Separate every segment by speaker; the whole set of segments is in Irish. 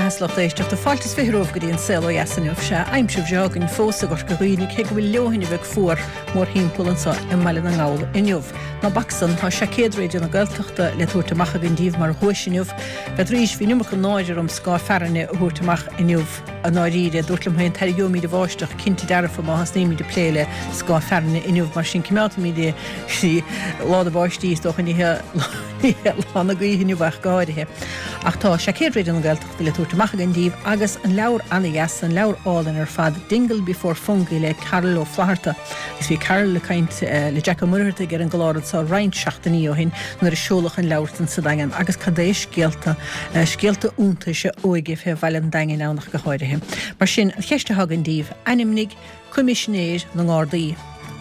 Speaker 1: beatha 's lucht éisteachta. Fáilte is 20 romhaibh go dtí an Saol Ó Dheas inniu. Sea, aimsir bhreá againn fós i gCorca Dhuibhne, cé go bhfuil leoithne bheag fuar mórthimpeall anseo i mBaile na nGall inniu. Ná bac san, tá seaicéad Raidió na Gaeltachta le tabhairt amach againn díbh mar dhuais inniu. B'fhéidir, bhí an iomarca náire orm scáth fearthainne a thabhairt amach inniu. I ndáiríre, dúrt liom féin, tarraingeoimid an bháisteach, cinnte dearfa, má thosnaímid ag plé le scáth fearthainne inniu. Mar sin, coimeádfaimid í lá na báistí, is dócha, ní hé lá na gaoithe inniu ach go háirithe. Ach tá seaicéad Raidió na Gaeltachta le tabhairt amach againn díbh agus an leabhar ana-dheas, an leabhar álainn ar fad, Dingle Before Fungie le Carol Ó Flatharta. Agus bhí Carol ag caint le Jack Ó Muircheartaigh ar an gclár anseo roinnt seachtainí ó shin nuair a seoladh an leabhar san sa Daingean agus cad é scéalta, scéalta iontais a óige fé bhaile an Daingin ann ach go háirithe. Mar sin, an cheist atá againn díbh, ainmnigh Coimisinéir na nGardaí.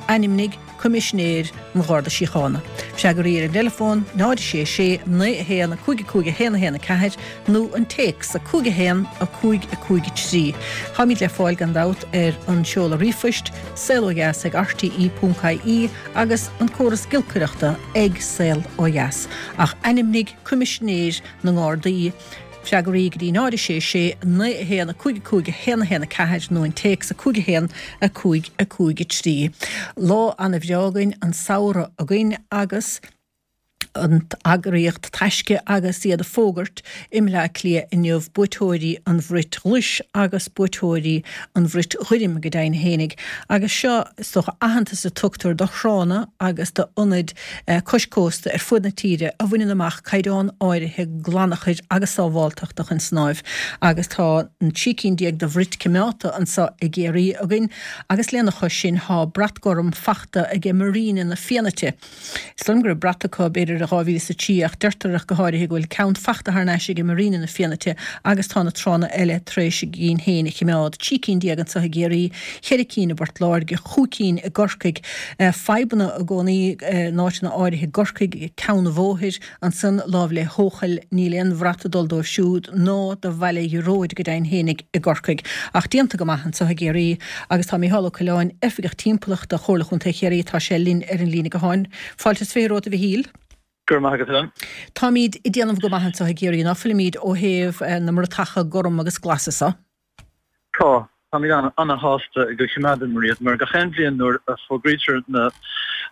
Speaker 1: Ainmnigh Coimisinéir an Gharda Síochána. Freagraí ar an dteileafón, 0 6 6 9 1 5 5 1 1 4 nó an téacs 5 1 5 5 3. Táimid le fáil gan dabht ar an seoladh ríomhphoist, saolodheas ag rte.ie agus an córas giolcaireachta ag Saol Ó Dheas. Ach ainmnigh Coimisinéir na nGardaí. Freagraí go dtí 0 6 6 9 1 5 5 1 1 4 nó an téacs 5 1 5 5 3. Lá ana-bhreá againn, an samhradh againn agus an eagraíocht Taisce agus iad ag fógairt i mBleá Cliath inniu buaiteoirí an Bhrait Ghlais agus buaiteoirí an Bhrait Ghoirm go deimhin fhéinig. Agus seo, is dócha, aitheantas a tugtar do thránna agus d'ionaid cois cósta ar fud na tíre a bhaineann amach caighdeán áirithe glanachair agus sábháltachta chun snáimh agus tá an 13 cinn de bhrait coimeádta anseo i gCiarraí againn agus lena chois sin tá brat gorm fachta aige Marina na Fianaite. Is dóigh liom go raibh brat acu b'fhéidir i 2003 ach deirtear ach go háirithe go bhfuil ceann fachta thar n-ais aige Marina na Fianaite agus tá na tránna eile tar éis a gcinn féin a chimeád, 13 cinn anseo i gCiarraí, cheithre cinn i bPort Láirge, chúig cinn i gCorcaigh. Fadhbanna i gcónaí in áiteanna áirithe i gCorcaigh, Ceann an Bhóthair, ansan láimh le hEochaill, níl aon bhrat ag dul dóibh siúd, ná do Bhaile Ghearóid go deimhin fhéinig i gCorcaigh. Ach déanta go maith anso i gCiarraí agus tá Mícheál Ó Coileáin, Oifigeach Timpeallachta Chomhairle Chontae Chiarraí, tá sé linn ar an líne gutháin. Fáilte is 20 romhat a Mhichíl.
Speaker 2: Go raibh maith agat, Helen.
Speaker 1: Táimíd ag déanamh go maith anso i gCiarraí, ná fuilimíd, ó thaobh na mbratacha gorm agus glasa so?
Speaker 2: Tá. Táimid ana-shásta go choimeádamar iad mar gach aon bhliain nuair a fógraítear na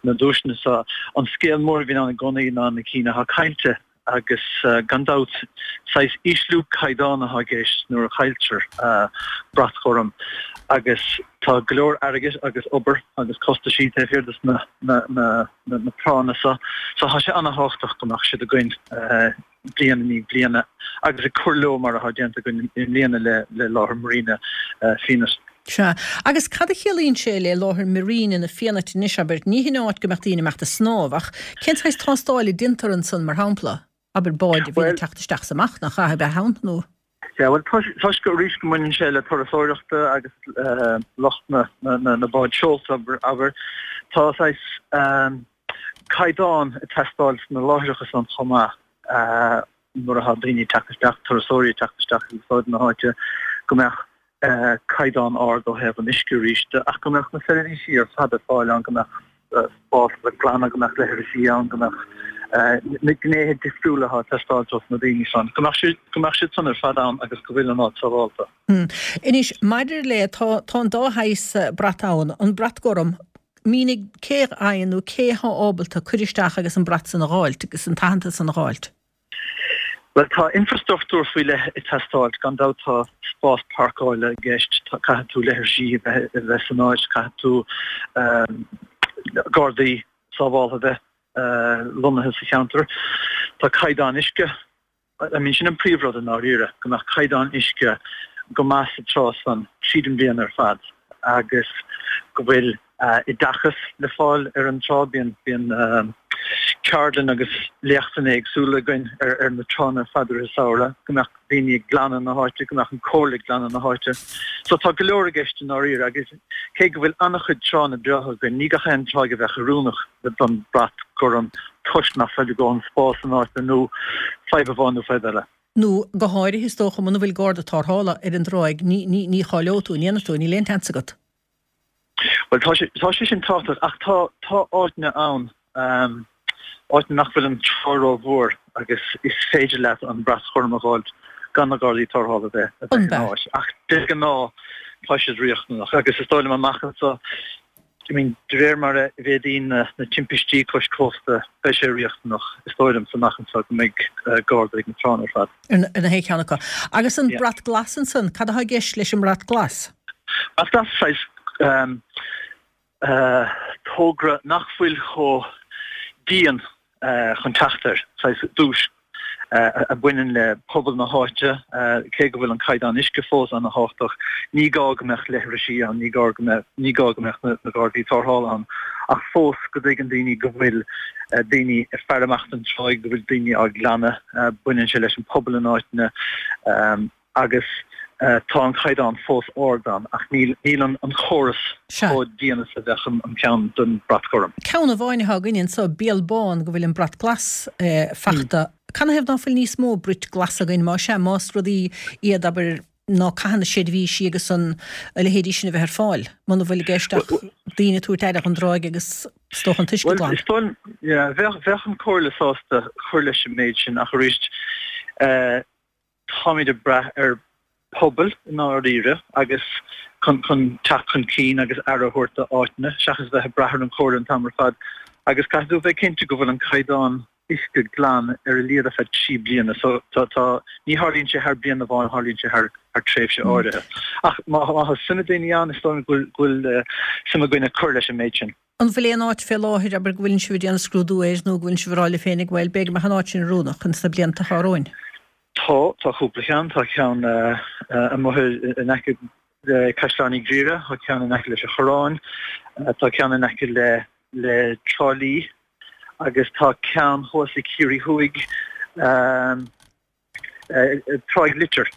Speaker 2: duaiseanna seo, an scéal mór a bhíonn ann i gcónaí ná na cinn atá caillte agus gan dabht saghas ísliú caighdeán atá i gceist nuair a chailltear brat ghorm agus tá go leor airgid agus obair agus costaisí taobh thiar de na tránna seo so tá sé ana-thábhachtach go mbeadh siad againn. bliain i ndiaidh bliana agus ag cur leo mar atá déanta againn i mbliana le láthair Marina Fenit.
Speaker 1: Sea. Agus cad a chiallaíonn sé le láthair Marina na Fianaite anois, abair? Ní hin áit go mbeadh daoine ag imeacht ag snámh, ach cén saghas tástáil a déantar ansan, mar shampla? Abair, báid a bhíonn ag teacht isteach is amach, nach ea, a bheith ann, nó?
Speaker 2: Sea, bhuel, toisc arís go mbaineann sé le turasóireachta agus lucht na na bád seolta, abair, tá saghas caighdeán ag teastáil sna láithreacha san chomh maith nuair atá daoine ag teacht isteach, turasóirí ag teacht isteach ag úsáid na háite, go mbeadh caighdeán ard ó thaobh an uisce arís de ach go mbeadh na seirbhísí ar fad ar fáil ann, go mbeadh spás le glanadh, go mbeadh leithrisí ann, go mbeadh na gnéithe difriúla atá ag teastáilt ós na daoine san, go mbeadh siad, go mbeadh siad san ar fad ann agus go bhfuil an áit sábhálta.
Speaker 1: Anois, maidir le, tá, tá an dá shaghas brat ann, an brat gorm, mínigh cé a fhaigheann nó cé atá ábalta cur isteach agus an brat san a dh'fháilt agus an t-aitheantas san a dh'fháilt.
Speaker 2: Bhuel, tá infreastruchtúr faoi leith ag teastáilt, gan dabht tá spás páirceála i gceist, caithfidh tú leithrisí a bheith a bheith san áit, caithfidh tú gardaí sábháltha a bheith lonnaithe sa cheantar. Tá caighdeán uisce I mean sin an príomhrud i ndáiríre, go mbeadh caighdeán uisce go maith sa trá san tríd an bhliain ar fad agus go bhfuil oideachas le fáil ar an trá. Bíonn bíonn ceardlann agus léachtanna éagsúla againn ar ar na tránna ar fad i rith an samhradh, go mbeadh daoine ag glanadh na háite, go mbeadh an comhairle ag glanadh na háite. So tá go leor i gceist i ndáiríre agus cé go bhfuil an-chuid tránna breátha againn, ní gach aon tráigh a bheadh oiriúnach don brat gorm toisc nach bhfuil a dhóthain spáis san áit nó fadhb amháin nó fadhb eile.
Speaker 1: Nó go háirithe is dócha muna bhfuil garda tarrthála ar an dtráigh ní ní ní cháileoidh tú, an ndéanfaidh tú, níl aon tseans agat.
Speaker 2: Bhuel tá sé tá sé sin tábhachtach ach tá tá áiteanna ann áiteanna nach bhfuil an trá rómhór agus is féidir leat an brat ghorm a dh'fháilt. gan na Gardaí Tarrthála a bheith a bheith in áit. Ach de ghnáth tá siad riachtanach agus is dóigh liom amach anseo, I mean, de réir mar a mhéadaíonn na timpistí cois cósta, beidh sé riachtanach, is dóigh liomsa, amach anseo go mbeidh Garda ag na tránna ar fad.
Speaker 1: Ar na haon cheann acu. Agus an Brat Glas ansan, cad atá i gceist leis an mBrat Glas?
Speaker 2: Brat Glas, saghas togra nach bhfuil chomh dian chun teacht air, saghas duais a bhaineann le pobal na háite, cé go bhfuil an caighdeán uisce fós ana-thábhachtach, ní gá go mbeadh leithrisí ann, ní gá go mbeadh, ní gá go mbeadh na Gardaí Tarrthála ann, ach fós go dtuigeann daoine go bhfuil daoine ag faire amach don tráigh, go bhfuil daoine á glanadh, baineann sé leis an pobal in áiteanna. agus tá an caighdeán fós ard ann ach níl níl an córas chomh dian is a bheadh an ceann don Brat Gorm.
Speaker 1: Ceann amháin atá againn anso, Béal Bán, go bhfuil an Brat Glas fachta. Canathaobh ná fuil níos mó brait glas againn, más ea, más rudaí iad, abair, ná caitheann na seirbhísí agus an a leithéidí sin a bheith ar fáil, muna bhfuil i gceist ach daoine ag tabhairt aire dhon dtráigh agus is dócha an t-uisce
Speaker 2: glan. Bhuel, is dóigh liom, yeah, bheadh bheadh an Comhairle sásta cur leis an méid sin ach arís, Táimid ag brath ar pobail i ndáiríre agus chun chun teacht chun cinn agus aire a thabhairt do áiteanna seachas bheith ag brath ar an chomhairle an t-am ar fad agus caithfidh tú a bheith cinnte go bhfuil an caighdeán uisce glan ar a laghad ar feadh 3 bliana so tá tá ní tharlaíonn sé thar bliain amháin tharlaíonn sé thar thar tréimhse áirithe. Ach má má tá suim ag daoine ann is dóigh liom go bhfuil go bhfuil suim againn ag cur leis an méid sin.
Speaker 1: An bhfuil aon áit fé láthair, abair, go bhfuileann sibh ag déanamh scrúdú air nó go bhfuileann sibh ag rá libh féinig, bhuel, b'fhéidir go mbeadh an áit sin oiriúnach ins na blianta atá romhainn?
Speaker 2: Tá, tá cúpla ceann. Tá ceann amuigh in aice le Caisleán Uí Ghriaire, tá ceann in aice leis an Choireán, tá ceann in aice le le Trá Lí agus tá ceann thuas i Ciarraí Thuaidh, Tráigh Litir.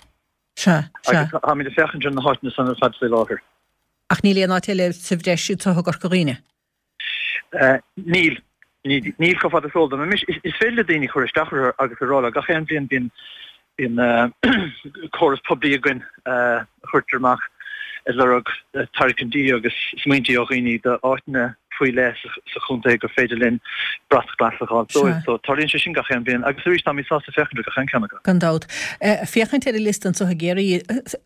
Speaker 1: Sea, sea.
Speaker 2: Agus táimid ag féachaint ar na háiteanna san ar fad faoi láthair.
Speaker 1: Ach níl aon áit eile sa bhreis anseo i gCorca Dhuibhne?
Speaker 2: Níl. Níl chomh fada is eol dom. Anois, is féidir le daoine cur isteach orthu agus a rá leo, gach aon bhliain bíonn bíonn córas poiblí againn a chuirtear amach ag lorg tairiscintí agus smaointí ó dhaoine d'áiteanna faoi leith sa chontae gur féidir linn brat glas a fháil dóibh. So tarlaíonn sé sin gach aon bhliain agus arís táimid sásta féachaint ar gach aon cheann acu.
Speaker 1: Gan dabht. Féachaint ar an liosta anseo i gCiarraí,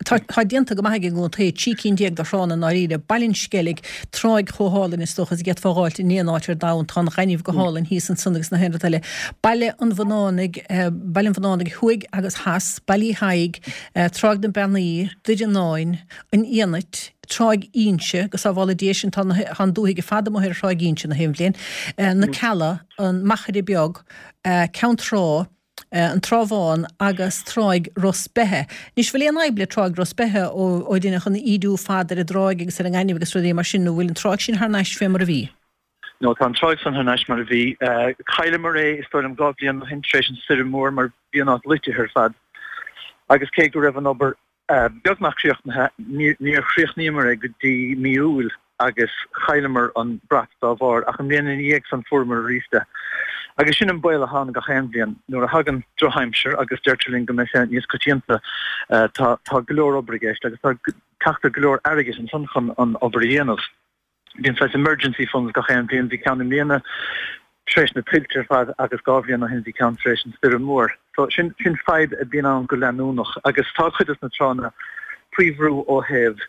Speaker 1: tá tá déanta go maith ag an gcontae, 13 cinn de thránna i ndáiríre, Baile an Sceilg, tráigh chomh hálainn is dócha is a d'fhéadfá a dh'fháilt in aon áit ar domhan, tá an ghainimh go hálainn thíos ansan agus na haon rud eile. Baile an Bhunánaigh, Baile an Bhunánaigh thuaidh agus theas, Baile Uí Thaidhg, Tráigh na Beannaí, Doire Fhionáin, An Fhianait, Tráigh Inse, go sábhála Dia sinn, tá an dúthaigh ar fad amuigh ar Thráigh Inse na haon bhliain, Na Cealla, An Machaire Beag, Ceann Trá, An Trá Bhán agus Tráigh Ros Beithe. Anois, bhfuil aon fhadhb le Tráigh Ros Beithe ó deineadh an ídiú fada ar an dtráigh agus ar an ngaineamh agus rudaí mar sin nó bhfuil an tráigh sin thar n-ais fé mar a bhí?
Speaker 2: No, tá an tráigh san thar n-ais mar a bhí. Chailleamar é, is dóigh liom, 2 bhliain ó shin tar éis an stoirm mhór mar bhí an áit loitithe ar fad. Agus cé go raibh an obair beagnach críochnaithe, níor chríochnaíomar é go dtí mí Iúil agus chailleamar an brat dá bharr, ach an bhliain ina dhiaidh san fuaireamar arís é. Agus sin an baol atá ann gach aon bhliain, nuair a thagann drochaimsir, agus deirtear linn go mbeidh sé níos coitianta, tá tá go leor obair i gceist agus tá teacht ar go leor airgid ansan chun an obair a dhéanamh. Bíonn saghas emergency funds gach aon bhliain. Bhí ceann i mbliana tar éis na tuilte ar fad agus 2 bhliain ó shin bhí ceann tar éis an stoirm mhór. So sin sin fadhb a bhíonn ann go leanúnach agus tá cuid des na tránna faoi bhrú ó thaobh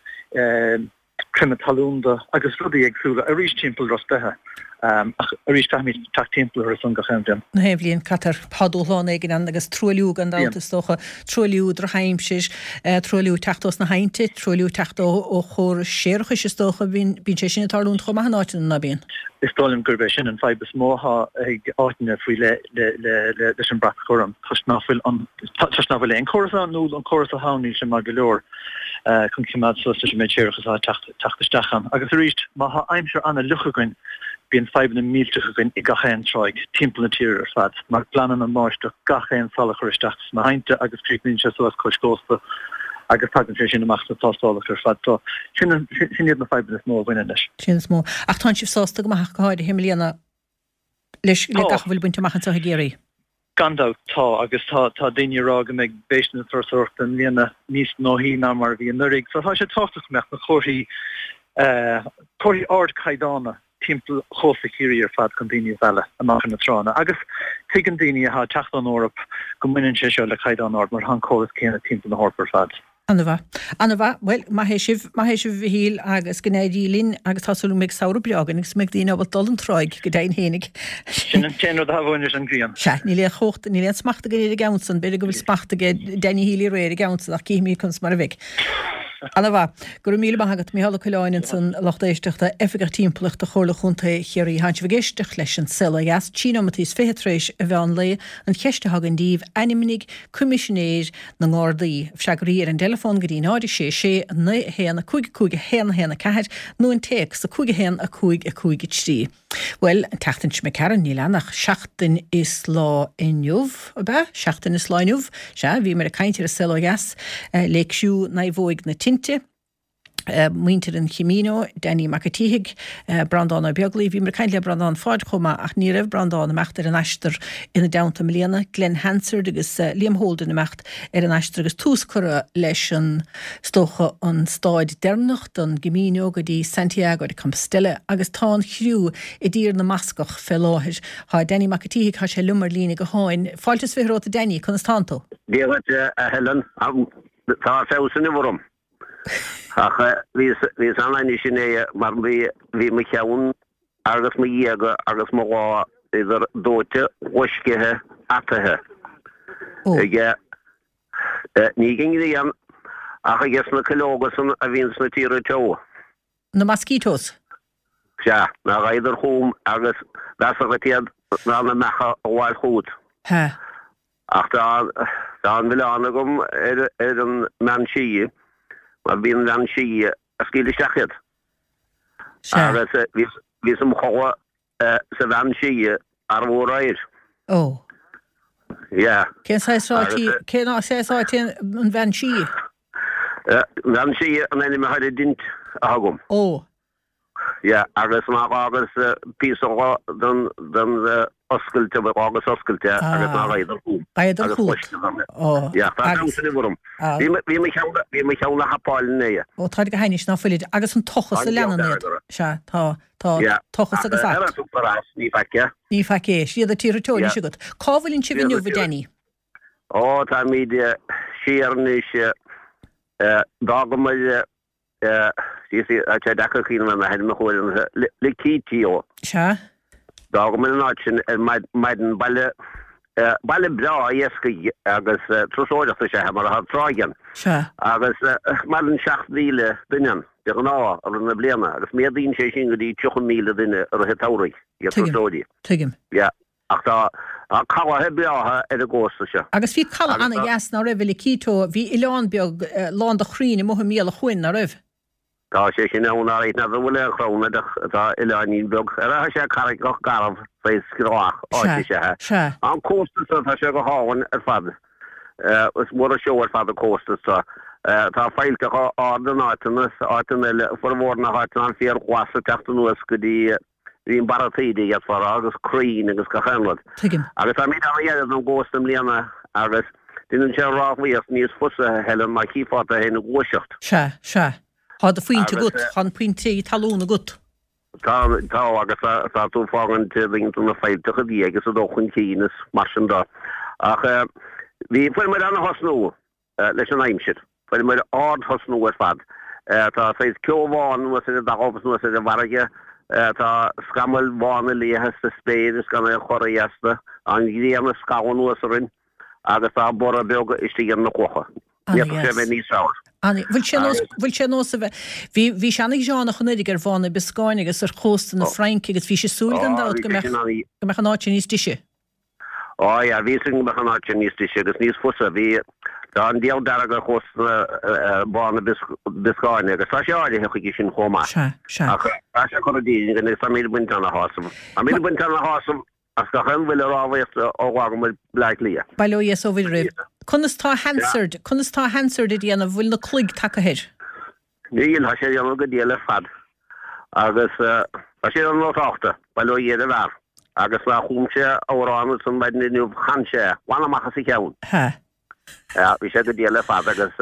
Speaker 2: creimeadh talún de agus rudaí éagsúla arís timpeall Ros Beithe. Ach arís caithfimid teacht timpeall orthu san gach aon bhliain.
Speaker 1: Na haon bhliain caitear tá dúshlán éigin ann agus truailliú gan dabht is dócha, truailliú, drochaimsir, truailliú ag teacht ós na haibhnte, truailliú ag teacht ó ó chórais séarachais is dócha, bíonn bíonn sé sin ag tarlúint chomh maith in áiteanna, ná bíonn?
Speaker 2: Is dóigh liom gurb é sin an fadhb is mó atá ag áiteanna faoi leith le le le leis an brat gorm toisc ná fuil an toisc ná fuil aon chóras ann nó an córas atá ann níl sé maith go leor chun coimeád suas leis an méid séarachais atá ag teacht teacht isteach ann. Agus arís, má tá aimsir an-fhliuch againn, bíonn fadhbanna millteacha againn i gach aon tráigh timpeall na tíre ar fad, mar glanann an bháisteach gach aon salachar isteach sna haibhnte agus críochnaíonn sé suas cois cósta agus tagann sé sin amach sna tástálacha ar fad. So, sin sin iad na fadhbanna is mó a bhaineann leis.
Speaker 1: Sin is mó. Ach tánn sibh sásta go maith ach go háirithe i mbliana leis le gach a bhfuil bainte amach anseo i gCiarraí.
Speaker 2: Gan dabht, tá, agus tá tá daoine ag rá go mbeidh béiste na turasóireachta i mbliana níos gnóthaí ná mar a bhí anuraidh. So tá sé tábhachtach go mbeadh na comharthaí, comharthaí ardchaighdeána. timpeall chósta Chiarraí ar fad chun daoine a mhealladh amach ar na tránna. Agus tuigeann daoine atá ag teacht ón Eoraip go mbaineann sé seo le caighdeán ard mar tá an córas céanna timpeall na hEorpa ar fad.
Speaker 1: Ana-mhaith. Ana-mhaith. Bhuel, maith é sibh, maith é sibh a Mhichíl agus go n-éirí linn agus tá súil go mbeidh samhradh breá againn agus go mbeidh daoine ábalta dul an tráigh go deimhin fhéinig.
Speaker 2: Sin an t-aon rud atá uainn leis an ghrian.
Speaker 1: Sea, níl aon chumhacht, níl aon smacht againn ar an gceann san, b'fhéidir go bhfuil smacht aige Danny Healy Rae ar an gceann san ach cífimid conas mar a bheidh. Ana-mhaith. Go raibh míle maith agat, Micheál Ó Coileáin ansan, lucht éisteachta, Oifigeach Timpeallachta Chomhairle Chontae Chiarraí. Tánn sibh ag éisteacht leis an Saol Ó Dheas, 13 nóimeataí is 20 tar éis an mheán lae. An cheist atá againn daoibh, ainmnigh Coimisinéir na nGardaí. Freagraí ar an dteileafón go dtí 0 6 6 9 1 5 5 1 1 4 nó an téacs 5 1 5 5 3. Bhuel, an tseachtain seo imigh tharainn, níl ann ach seachtain is lá inniu, ab ea? Seachtain is lá inniu? Sea, bhíomar ag caint ar an Saol Ó Dheas le criú Naomhóig na Tinte, muintir an Chamino, Danny Mac a' tSíthigh, Breandán Ó Beaglaoi. Bhíomar ag caint le Breandán Pháid chomh maith ach ní raibh Breandán imeacht ar an aistear ina dteannta i mbliana. Glen Hansard agus Liam Holden imeacht ar an aistear agus tús curtha leis an, is dócha, an stáid deireanach den gCamino go dtí Santiago de Compostela agus tá an chriú i dTír na mBascach fé láthair. Tá Danny Mac a' tSíthigh, tá sé liom ar líne gutháin. Fáilte is 20 romhat a Danny, conas tánn tú?
Speaker 3: Dia dhuit a Helen, tá feabhas inniu orm. Ach bhíos an-ainnis inné mar bhí bhí mo cheann agus mo ghéaga agus mo lámha idir dóite, loiscithe, ataithe aige, ní ag an ngrian ach aige sna cuileoga san a bhíonn sna tíortha teo.
Speaker 1: Na mosquitoes.
Speaker 3: Sea, nár ghabhadar chugam agus b'mheasa dhuit iad ná na meacha a ghabháil chugat.
Speaker 1: Sea.
Speaker 3: Ach tá tá an milleán agam ar ar an mbean sí, mar b'í an bhean sí a scaoil isteach iad.
Speaker 1: Sea.
Speaker 3: Agus bhíos bhíos im chodladh sa bhean sí arbú aréir.
Speaker 1: Ó.
Speaker 3: Yeah.
Speaker 1: Cén saghas áit í, cén saghas áit í an bhean sí?
Speaker 3: Bhean sí an ainm atá ar an dtint atá agam.
Speaker 1: Ó.
Speaker 3: Yeah, agus má dh'fhágas píosa den den oscailte, dh'fhágas oscailte agus nár ghabhadar chugam.
Speaker 1: Ghabhadar
Speaker 3: Agus
Speaker 1: chugat.
Speaker 3: loisceadar mé.
Speaker 1: Ó.
Speaker 3: Yeah, tá
Speaker 1: Agus.
Speaker 3: feabhas inniu orm.
Speaker 1: Ah.
Speaker 3: Bhí mo bhí mo cheann bhí mo cheann le hapáil inné.
Speaker 1: Ó, táid go hainnis ná fuilid. Agus an tochas
Speaker 3: An
Speaker 1: a
Speaker 3: diabhal
Speaker 1: leanann iad.
Speaker 3: dearg orthu.
Speaker 1: Sea, tá, tá
Speaker 3: Yeah.
Speaker 1: tochas
Speaker 3: Ach
Speaker 1: agus
Speaker 3: ar
Speaker 1: at.
Speaker 3: a tugtar as, ní faic é.
Speaker 1: Ní faic é. Siad na tíortha teo
Speaker 3: Yeah.
Speaker 1: anois agat. Cá bhfuileann sibh
Speaker 3: Siad
Speaker 1: inniu,
Speaker 3: na
Speaker 1: a
Speaker 3: tíortha.
Speaker 1: Danny?
Speaker 3: Ó, táimid siar anois, d'fhágamar Tá sé deacair cuimhneamh ar na hainmneacha uaireanta. Lekeitio.
Speaker 1: Sea.
Speaker 3: D'fhágamar an áit sin ar maidin, baile, baile breá iascaigh agus turasóireachta is ea é mar tá tráigh ann.
Speaker 1: Sea.
Speaker 3: Agus maireann 7,000 duine ann de ghnáth i rith na bliana agus méadaíonn sé sin go dtí 30,000 duine i rith an tsamhraidh, iad
Speaker 1: Tuigim.
Speaker 3: turasóirí.
Speaker 1: Tuigim.
Speaker 3: Yeah. Ach tá calaithe breátha ar an gcósta seo.
Speaker 1: Agus bhí caladh
Speaker 3: Agus tá.
Speaker 1: ana-dheas, ná raibh, i Lekeitio? Bhí oileán beag lán de chrainn amuigh i mbéal an chuain, ná raibh?
Speaker 3: Tá sé sin ann, alright, n'fheadar an bhfuil aon chrann air ach tá oileáinín beag. Ar tá sé carraigeach garbh, saghas screallach áit is
Speaker 1: Sea,
Speaker 3: ea é.
Speaker 1: sea.
Speaker 3: An cósta seo, tá sé go hálainn ar fad. Is mór an seó ar fad an cósta seo. Tá faillteacha arda in áiteanna, is áiteanna eile, formhór na háiteanna an féar glas ag teacht anuas go dtí Bhí an barra taoide, d'fhéadfá a rá, agus crainn agus gach aon rud.
Speaker 1: Tuigim.
Speaker 3: Agus táimid an-ghearr don gcósta i mbliana agus déanann sé an rámhaíocht níos fusa, a Helen, má chífeá tú féin ag gluaiseacht.
Speaker 1: Sea, sea. Tá do phointe
Speaker 3: Agus.
Speaker 1: agat, tá an pointe talún agat.
Speaker 3: Tá, tá, agus tá tú ag fágaint roinnt de na faillteacha i ndiaidh agus ag dul chun cinn is mar sin de. Ach bhí, fuair muid ana-thosnú. leis an aimsir. Fuaireamar ard-thosnú ar fad. Tá saghas ceo bhán anuas ar an dtalamh is anuas ar an bhfarraige. Tá scamaill bhána liatha sa spéir is gan aon chorraí astu. Tá an ghrian ag scalladh anuas orainn agus tá borradh beag istigh ar na clocha. Ní fhéadfadh sé a bheith níos fearr.
Speaker 1: Ana, bhfuil sé nós, bhfuil sé nós a bheith, bhí, bhí sé ana-ghearánach anuraidh ar Bhá na Bioscáine agus ar chósta na Fraince agus bhí sé ag súil gan dabht go mbeadh, go mbeadh an áit sin níos deise.
Speaker 3: Á yeah, bhí fhios againn go mbeadh an áit sin níos deise agus níos fusa. Bhí, tá an diabhal dearg ar chósta Bhá na Bioscáine agus tá sé áirithe chuige sin chomh maith.
Speaker 1: Sea, sea.
Speaker 3: Ach tá sé curtha dínn againn agus táimid ag baint ana-shásamh. Táimid ag baint ana-shásamh as gach aon bhuille rámhaíochta ó dh'fhágamar Bleá Cliath.
Speaker 1: Bail ó Dhia is ó Mhuire oraibh. Conas tá Hansard, conas tá Hansard ag déanamh, bhfuil na cloig tagtha air?
Speaker 3: Níl, tá sé ag déanamh go diail ar fad agus tá sé an-nótálta, bail ó Dhia ar an bhfear. Agus má chum sé amhrán ansan maidin inniu, chan sé é, glan amach as a cheann.
Speaker 1: Ha.
Speaker 3: Yeah, bhí sé go diail ar fad agus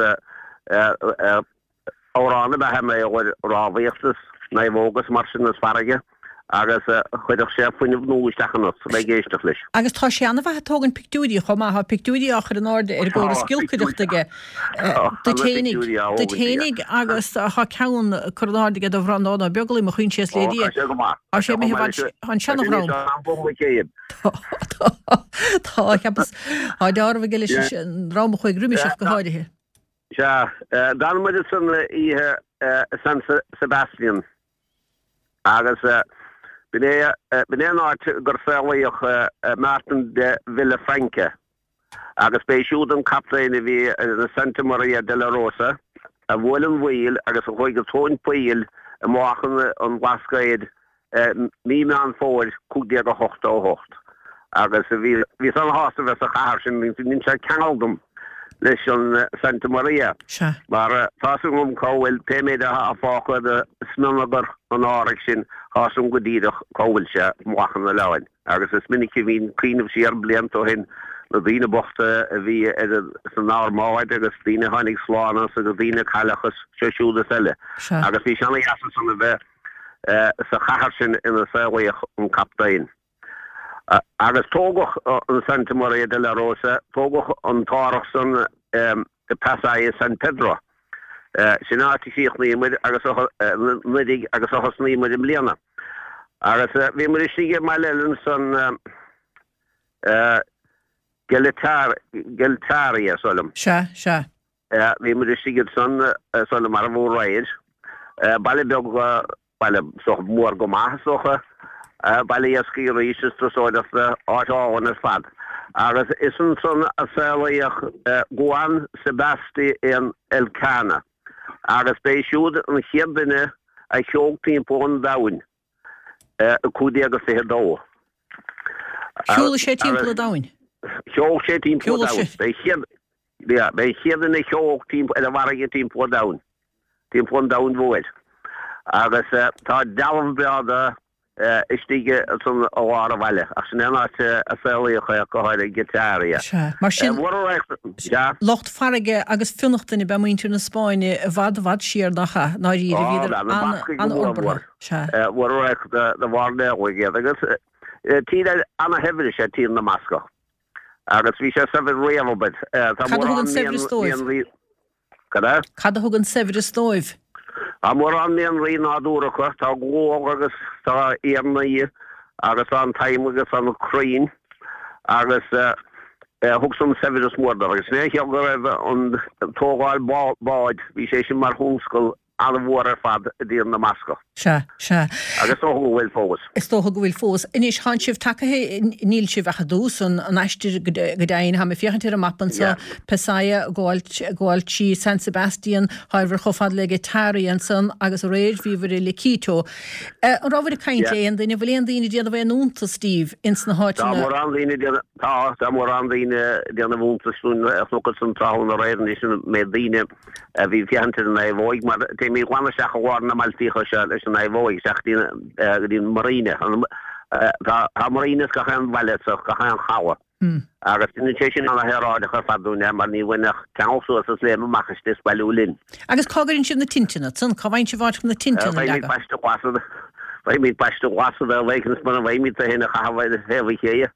Speaker 3: amhrán ab ea é mar gheall ar rámhaíocht is naomhóga is mar sin is farraige. Agus chuirfeadh sé fuinneamh nua isteach ionat a bheith ag éisteacht leis.
Speaker 1: Agus tá sé an-mhaith ag tógaint pictiúirí chomh maith. Tá pictiúirí á chur in airde ar an gcóras giolcaireachta aige duit fhéinig, duit fhéinig agus tá ceann curtha in airde aige do Bhreandán Ó Beaglaoich, mo choinsias le Dia. Tá sé imithe i bhfad, tá an seana-dhream. Tá, tá, tá, cheapas, tá deáramh aige leis an dream a chuaigh roimis ach go háirithe.
Speaker 3: Sea, d'fhan muid ansan oíche i San Sebastian. Agus b'in é, b'in é an áit gur saolaíodh Martin de Villafranca. Agus b'é siúd an captaen a bhí ar an Santa Maria de la Rosa, a bhuail an mhaoil agus a chuaigh go tóin poill i mBealach an Bhlascaoid mí Meán Fómhair 1588. Agus bhí, bhíos ana-shásta a bheith sa chathair sin, dhein sé ceangal dom leis an Santa Maria.
Speaker 1: Sea.
Speaker 3: Mar tá's agam cá bhfuil, pé méid atá fágtha de smionagar an árthaigh sin, tá's agam go díreach cá bhfuil sé, i mBealach an Oileáin. Agus is minic a bhínn ag cuimhneamh siar blianta ó shin, na daoine bochta a bhí ar san armáid agus daoine a tháinig slán as agus daoine a cailleadh is seo siúd is eile.
Speaker 1: Sea.
Speaker 3: Agus bhí sé ana-dheas ansan a bheith sa chathair sin ina saolaíodh an captaen. Agus tógadh an Santa Maria de la Rosa, tógadh an t-árthach san i Pasaia San Pedro. Sin áit a chríochnaigh muid agus anuraidh agus a thosnaigh muid i mbliana. Agus bhí muid istigh i mbaile eile ansan, Getaria, is dóigh liom.
Speaker 1: Sea, sea.
Speaker 3: Bhí muid istigh ansan, is dóigh liom, arbh aréir. Baile beag Baile mór go maith, is dócha. Baile iascaigh arís is turasóireachta, áit álainn ar fad. Agus is ansan a saolaíodh Juan Sebastian Elcano agus b'é siúd an chéad duine a shiúil timpeall an domhain i 1522.
Speaker 1: Shiúil sé timpeall an domhain?
Speaker 3: Shiúil sé timpeall an domhain. B'é an chéad duine a shiúil ar an bhfarraige timpeall an domhain. timpeall an domhain mhóir. Agus tá dealbh breá de istigh ansan i lár an bhaile, ach sin é an áit a saolaíodh é, go háirithe Getaria.
Speaker 1: Sea, mar sin, lucht farraige agus fionnachtana ab ea muintir na Spáinne i bhfad, i bhfad siar, nach ea? Ndáiríre, bhíodar an-fhorbartha.
Speaker 3: Sea. Mhór an radharc de mhairnéalaigh iad, agus tír ana-shaibhir is ea Tír na mBascach. Agus bhí sé saibhir riamh, abair.
Speaker 1: Cad a thug an saibhreas dóibh?
Speaker 3: Cad é?
Speaker 1: Cad a thug an saibhreas dóibh?
Speaker 3: Tá mórán mianraí nádúrtha acu, tá gual agus tá iarnaí agus tá an t-adhmad agus tá na crainn agus thug san saibhreas mór dóibh. Agus ní haon chiall go raibh an tógáil bád, bhí sé sin mar thionscal an-mhór ar fad i dTír na mBascach.
Speaker 1: Sea, sea.
Speaker 3: Agus is dócha go bhfuil fós.
Speaker 1: Is dócha go bhfuil fós. Anois, thánn sibh tagaithe, níl sibh ach i dtús an aistir go deimhin, táim ag féachaint ar an mapa anseo, Pasaia, ag gabháil trí San Sebastian, thánabhair chomh fada le Getaria ansan agus aréir bhíobhair i Lequeitio. An rabhabhair ag caint le aon duine, bhfuil aon daoine ag déanamh aon iontas díbh ins na
Speaker 3: háiteanna? Tá mórán daoine ag déanamh, tá, tá mórán daoine ag déanamh iontais dúinn, chonac ansan tráthnóna aréir anois an méid daoine a bhí ag féachaint ar an naomhóig mar téimid glan isteach i lár na mbailtíocha seo leis an naomhóig isteach go dtí an marina. Tá marina ins gach aon bhaile so gach aon chaladh. Agus déanann sé sin ana-shaoráideach ar fad dúinn mar ní bhain ach ceangal suas is léim amach istigh is bailiú linn.
Speaker 1: Agus cá gcuireann sibh na tinteanna ansan? Cá bhfaigheann sibh áit chun na tinteanna a
Speaker 3: leagadh? Faighimid paiste glas Faighimid paiste glas a bheith agus mura bhfaighimid tú féin a chaitheamh ar thaobh an chéidhe.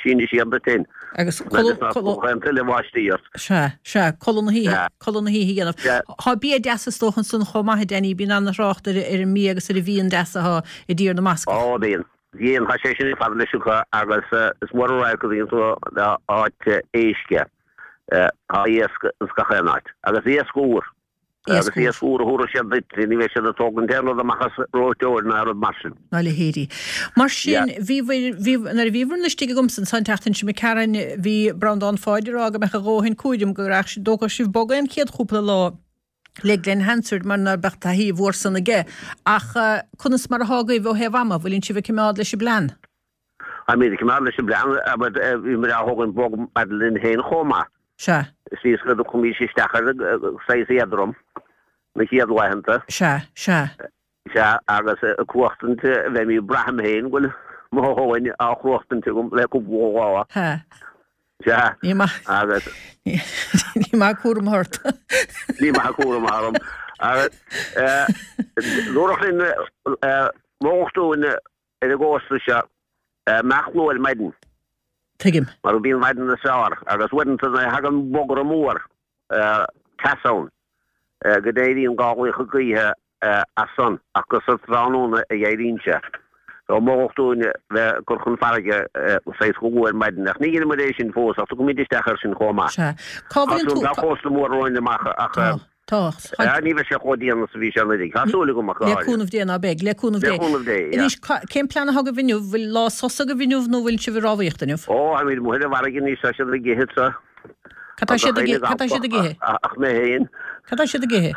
Speaker 3: Síneadh siar duit féin.
Speaker 1: Agus codladh, codladh.
Speaker 3: An tuile bháistí ort.
Speaker 1: Sea, sea, codladh na hoíche, codladh na hoíche a dhéanamh. Sea. Tá bia deas is dócha ansan chomh maith, a Danny, bíonn ana-thrácht ar ar an mbia agus ar an bhfíon deas atá i dTír na mBascach.
Speaker 3: Ó, bíonn. Bíonn, tá sé sin ar fad leis acu agus is mór an radharc a bhíonn tú áit éisc. Tá iasc ins gach aon áit. Agus iasc úr. Agus iasc úr a thabharfaidh siad duit, ní bheidh siad ag tógaint aon rud amach as reoiteoir ná rud mar sin.
Speaker 1: Ná a leithéidí. Mar sin, bhíobhair, bhí, nuair a bhíobhair istigh agamsa ansan an tseachtain seo imigh tharainn, bhí Breandán Pháid ag rá go mbeadh a dhóthain cúraim go rachadh sibh, dtógfadh sibh bogadh an chéad chúpla lá le Glen Hansard mar ná beadh taithí mhór san aige. Ach conas mar athá agaibh ó thaobh ama, bhfuileann sibh ag coimeád leis an bplean?
Speaker 3: Táimid ag coimeád leis an bplean, but bhí muid á thógaint bog maidir linn féin chomh maith.
Speaker 1: Sea.
Speaker 3: Is go dtiocfaimís isteach ar saghas éadrom na chéad laethanta.
Speaker 1: Sea, sea.
Speaker 3: Sea, agus ag cruachtaint, bheimid, braithim féin go bhfuil mo thóin á chruachtaint agam le cúpla
Speaker 1: lá. Sea.
Speaker 3: Sea.
Speaker 1: Ní maith.
Speaker 3: Agus.
Speaker 1: Ní maith cúram ort.
Speaker 3: Ní maith cúram orm. Agus dúradh linn. Mholfadh dúinn ar an gcósta seo imeacht luath ar maidin.
Speaker 1: Tuigim.
Speaker 3: Mar bíonn maidin is fearr agus uaireanta nuair a thagann bogra mór teas ann go n-éiríonn gálaíocha gaoithe as san ach gur sa tráthnóna a éiríonn sé. So mholfadh dúinn bheith ag cur chun farraige saghas go luath ar maidin ach ní dheinimid é sin fós ach tiocfaimid isteach air sin chomh maith.
Speaker 1: Sea. Cá
Speaker 3: Tá
Speaker 1: bhfuil
Speaker 3: tú,
Speaker 1: tú?
Speaker 3: tá cósta mór romhainn amach ach
Speaker 1: Tá. Tá.
Speaker 3: Tá, ní bheidh sé chomh dian is a bhí sé anuraidh. Tá súil agam ach go
Speaker 1: Le
Speaker 3: háirithe.
Speaker 1: cúnamh Dé ná beidh. Le cúnamh
Speaker 3: Le
Speaker 1: Dé.
Speaker 3: cúnamh Dé, yeah.
Speaker 1: Anois, cén plean atá agaibh inniu? Bhfuil lá sosa agaibh inniu nó bhfuil sibh ag rámhaíocht inniu?
Speaker 3: Ó, táimid amuigh ar an bhfarraige anois, tá siad ag ithe sa.
Speaker 1: Cad tá siad ag ithe? Cad tá siad ag ithe?
Speaker 3: Ach mé féin.
Speaker 1: Cad tá siad ag ithe?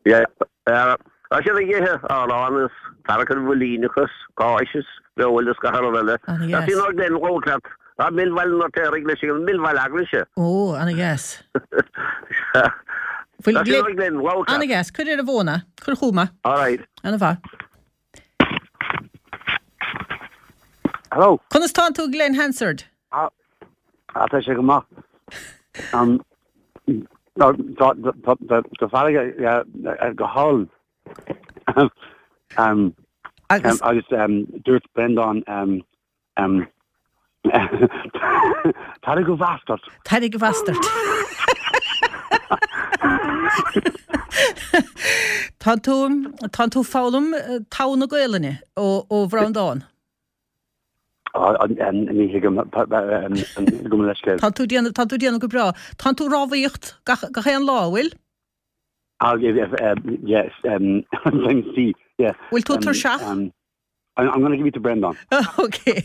Speaker 3: Yeah. Tá siad ag ithe arán is tarrac ar mhuilíneach is cáis is feoil is gach rud eile.
Speaker 1: Ana
Speaker 3: Tá sí
Speaker 1: dheas.
Speaker 3: inár gleann labhairt leat. Tá Mill Bhaile an Fheirtéaraigh leis ag an Mill Bhaile Eaglaise.
Speaker 1: Ó, ana dheas.
Speaker 3: Tá sí inár gleann labhairt
Speaker 1: Ana
Speaker 3: leat.
Speaker 1: dheas. Cuir ar an bhfón é. Cuir chugam é.
Speaker 3: All right.
Speaker 1: Ana mhaith.
Speaker 4: Hello.
Speaker 1: Conas tánn tú Glenn Hansard?
Speaker 4: Ah, tá sé go maith. Um, tá tá tá tá tá farraige go hálainn. Um,
Speaker 1: Agus
Speaker 4: agus um, dúirt Breandán um, um, Tarraig a bhast ort.
Speaker 1: Tarraig a bhast ort. Tá tú, tá tú foghlaim togha na Gaelainne ó, ó Bhreandán.
Speaker 4: Ní thuigim gabh mo leithscéal.
Speaker 1: Tá tú déanamh, tá tú déanamh go breá. Tá tú rámhaíocht gach, gach aon lá, bhfuil?
Speaker 4: Yes, yeah.
Speaker 1: Bhfuil tú tuirseach?
Speaker 4: I'm gonna give you to Brendan.
Speaker 1: Ok.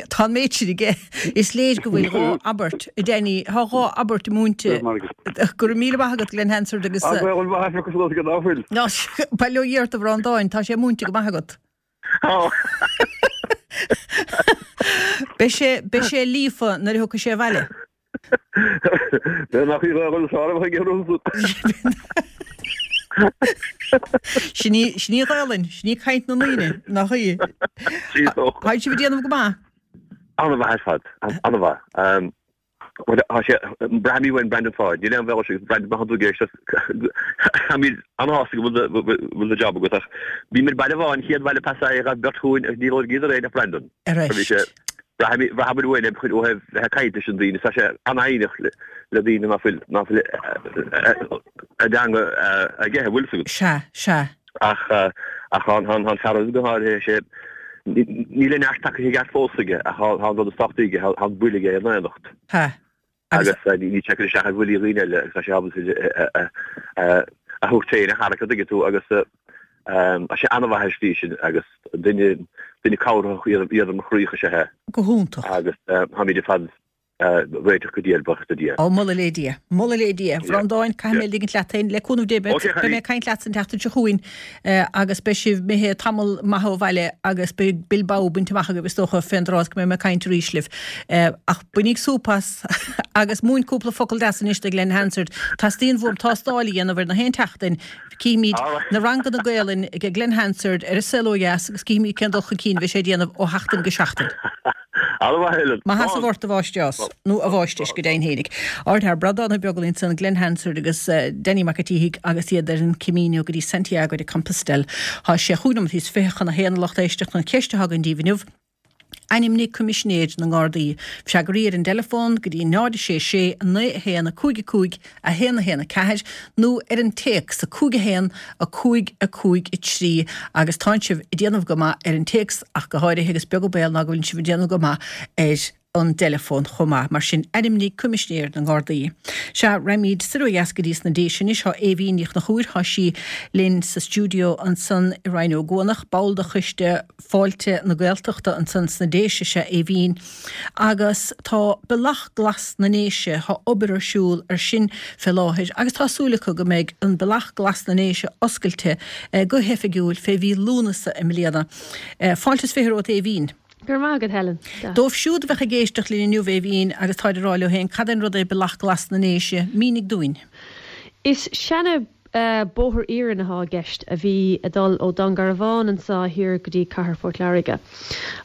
Speaker 1: Tá an méid sin aige. Is léir go bhfuil dhá abairt, a Danny, tá dhá abairt múinte. Go raibh míle maith agat, Glenn Hansard, agus.
Speaker 2: Ach bhuel, maith agat go bhfuil.
Speaker 1: Bail ó Dhia ort, a Bhreandáin, tá sé múinte go maith agat. Beidh sé, beidh sé líofa nuair a thiocfaidh sé abhaile.
Speaker 2: Bheadh nach í dhul sár a bheith ag
Speaker 1: Sin í, sin í Gaelainn, sin í caint na ndaoine, nach í? Tá sibh ag déanamh go maith.
Speaker 2: An-mhaith ar fad, an-mhaith. Tá sé, braithimid uainn Brendan Pháid, níl aon bhealach agus Brendan má tá tú ag éisteacht, táimid an-shásta go bhfuil do job agat ach bhí muid Baile Bháin, chéad bhaile Pasai a ghabh beirt chugainn agus níor labhair éinne ach Brendan.
Speaker 1: Ar ais.
Speaker 2: Braithimid uainn é ó thaobh bheith ag caint leis an daoine. Tá sé an-fhoighneach le daoine ná fuil, ná fuil a dteanga aige, an bhfuil fhios agat.
Speaker 1: Sea, sea.
Speaker 2: Ach, ach tá an fear go háirithe, sé, níl a neart tagtha i gceart fós aige ach tá an rud is tábhachtaí aige, tá an buille aige ina aonacht.
Speaker 1: Sea.
Speaker 2: Agus níl sé ag cur isteach ar bhuillí dhaoine eile agus tá sé ábalta a thabhairt féin a tharrac, an dtuigeann tú, agus tá sé an-mhaith ar slí sin agus duine duine cabhraitheach éadrom-chroíoch is ea é.
Speaker 1: Go hiontach.
Speaker 2: Agus táimid ar fad réiteach go diail, buíochas le Dia.
Speaker 1: Ó, moladh le Dia. Moladh le Dia. A Bhreandáin, caithfidh mé ligint leat féin. Le cúnamh Dé, beidh mé ag caint leatsa an tseachtain seo chugainn agus beidh sibh imithe tamall maith ó bhaile agus beidh Bilbao bainte amach agaibh is dócha fén dtráth is go mbeidh mé ag caint arís libh. Ach bainíg súp as agus múin cúpla focal deas anois do Glenn Hansard. Teastaíonn uaim tástáil a dhéanamh ar na haon tseachtain. Cífimid na ranganna Gaelainn ag Glenn Hansard ar An Saol Ó Dheas agus cífimid cén dul chun cinn a bheidh sé ag déanamh ó sheachtain go seachtain. Maith sheasamh ort a mháistreás, nó a mháistir, go deimhin fhéinig. Ardfhear Breandán Ó Beaglaoich ansan, Glenn Hansard agus Danny Mac a' tSíthigh agus iad ar an Camino go dtí Santiago de Compostelle. Tá sé chúig nóiméad is 20 chun a haon a lucht éisteachta an cheist atá againn daoibh inniu. Ainmnigh Coimisinéir na nGardaí. Freagraí ar an dteileafón go dtí 0 6 6 9 1 5 5 1 1 4 nó ar an téacs 5 1 5 5 3 agus tánn sibh ag déanamh go maith ar an téacs ach go háirithe agus beag an baol ná go bhfuil sibh ag déanamh go maith ar an dteileafón chomh maith. Mar sin, ainmnigh Coimisinéir na nGardaí. Sea, raghaimid soir ó dheas go dtí sna Déise anois. Tá Aoibhín Ní Chonchúir, tá sí linn sa stiúideo ansan i Rinn Ó gCuanach, ball de choiste Fáilte na Gaeltachta ansan sna Déise is ea Aoibhín agus tá Bealach Glas na nDéise, tá obair ar siúl ar sin fé láthair agus tá súil acu go mbeidh an Bealach Glas na nDéise oscailte go hoifigiúil fé mhí Lúnasa i mbliana. Fáilte is 20 romhat Aoibhín.
Speaker 5: Go raibh maith agat Helen.
Speaker 1: Dóibh siúd a bheadh ag éisteacht linn inniu Aoibhín agus táid ag rá leo féin cad é an rud é Bealach Glas na nDéise, mínigh dúinn.
Speaker 5: Is seana. Bóthar iarainn athá i gceist a bhí ag dul ó Dún Garbhán anso thiar go dtí Cathair Phort Láirge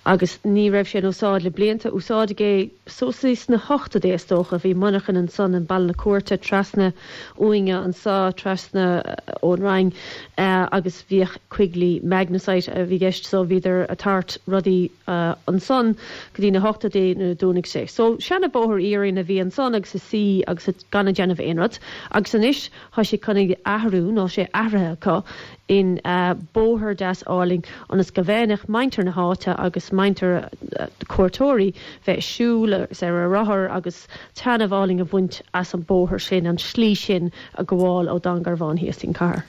Speaker 5: agus ní raibh sé in úsáid le blianta. Úsáideadh é suas sna hochtóidí is dócha. Bhí monarchan ansan in Baile na Cúirte trasna uainne anso, trasna ón Rinn agus bhíodh Quigley Magnesite a bhí i gceist so bhíodar a' tabhairt rudaí ansan go dtí na hochtóidí nuair a dúnadh sé. So seana bóthar iarainn a bhí ansan agus a suí agus a gan a déanamh aon rud agus anois Thá sé chun é athrú, nó sé athraithe acu, in bóthar deas álainn ionas go bhféadfadh muintir na háite agus muintir cuairteoirí bheith ag siúl agus ar a rothar agus taitneamh álainn a bhaint as an bóthar sin, an slí sin a gabháil ó Dún Garbhán thíos dtí'n
Speaker 1: cathair.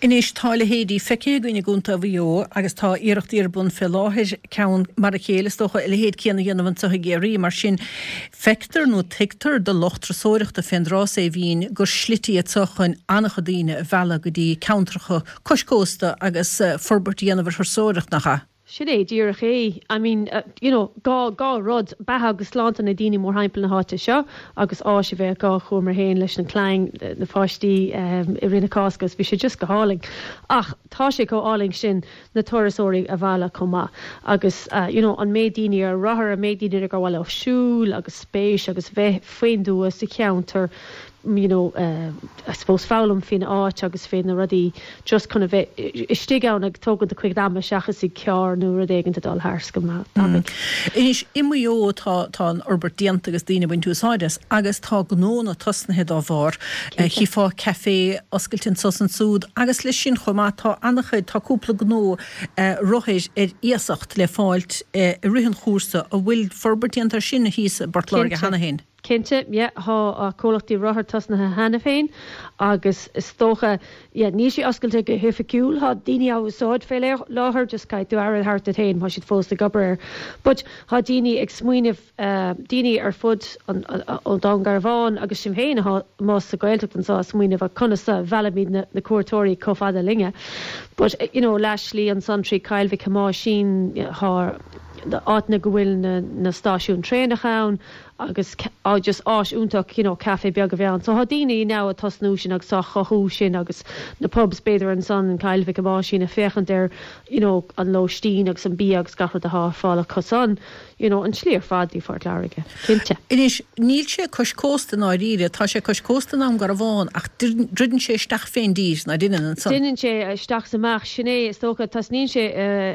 Speaker 1: Anois tá a leithéidí feicthe againn i gContae Mhaigh Eo agus tá iarrachtaí ar bun fé láthair ceann mar a chéile is dócha, a leithéid céanna a dhéanamh anseo i gCiarraí. Mar sin, Feictear nó tuigtear do lucht turasóireachta fén dtráth so, Aoibhinn, gur slite iad seo chun an-chuid daoine a mhealladh go dtí ceantracha cois cósta agus forbairt a dhéanamh ar thurasóireacht, nach ea?
Speaker 5: Sin é díreach é. I mean, you know, dhá, dhá rud, beatha agus sláinte na daoine mórthimpeall na háite seo agus áis a bheith acu. Chuamar féin leis an clann, na pháistí i rith na Cásca agus bhí sé just go hálainn. Ach tá sé chomh álainn sin na turasóirí a mhealladh chomh maith agus you know an méid daoine ar rothar, an méid daoine gur mhaith leo siúl agus spéis agus bheith faoin dtuath sa cheantar you know I suppose foghlaim faoin áit agus faoi na rudaí just chun a bheith istigh ann ag tógaint a cuid ama seachas i gcarr nó rud éigin ag dul thart go
Speaker 1: tapaidh. Anois i Maigh Eo tá tá an fhorbairt déanta agus daoine ag baint úsáid as agus tá gnónna tosnaithe dá bharr. Chífeá caifé oscailte anso is ansúd agus leis sin chomh maith tá an-chuid, tá cúpla gnó rothair ar iasacht le fáilt i rith an chúrsa. An bhfuil forbairt déanta ar sin thíos i bPort Láirge
Speaker 5: cheana féin? Cinnte, yeah, tá comhlachtaí rothar tosnaithe cheana féin agus is dócha, yeah, níl sé oscailte go hoifigiúil, tá daoine á úsáid fé láthair, just caithfidh tú aire a thabhairt duit féin, tá siad fós ag obair air. But tá daoine ag smaoineamh, daoine ar fud an ó Dún Garbhán agus sinn féin atá amuigh sa Ghaeltacht anseo ag smaoineamh ar conas a mheallfaimid na cuairteoirí chomh fada linne. But you know leath slí ansan trí Choill Mhic Thomáisín tá áiteanna go bhfuil na stáisiúin traenach ann agus just áis iontach you know caife beag a bheith ann. So tá daoine now ag tosnú sin agus á chothú sin agus na pubs b'fhéidir ansan in Coill Mhic Thomáisín ag féachaint ar you know an lóistín agus an bia agus gach rud atá ar fáil acu san. you know, an tslí ar fad dtí Phort Láirge,
Speaker 1: cinnte. Anois, níl sé cois cósta i ndáiríre, tá sé cois cósta i nDún Garbhán ach druideann sé isteach fén dtír, ná deineann,
Speaker 5: ansan? Deineann sé isteach is amach, sin é, is dócha, tosnaíonn sé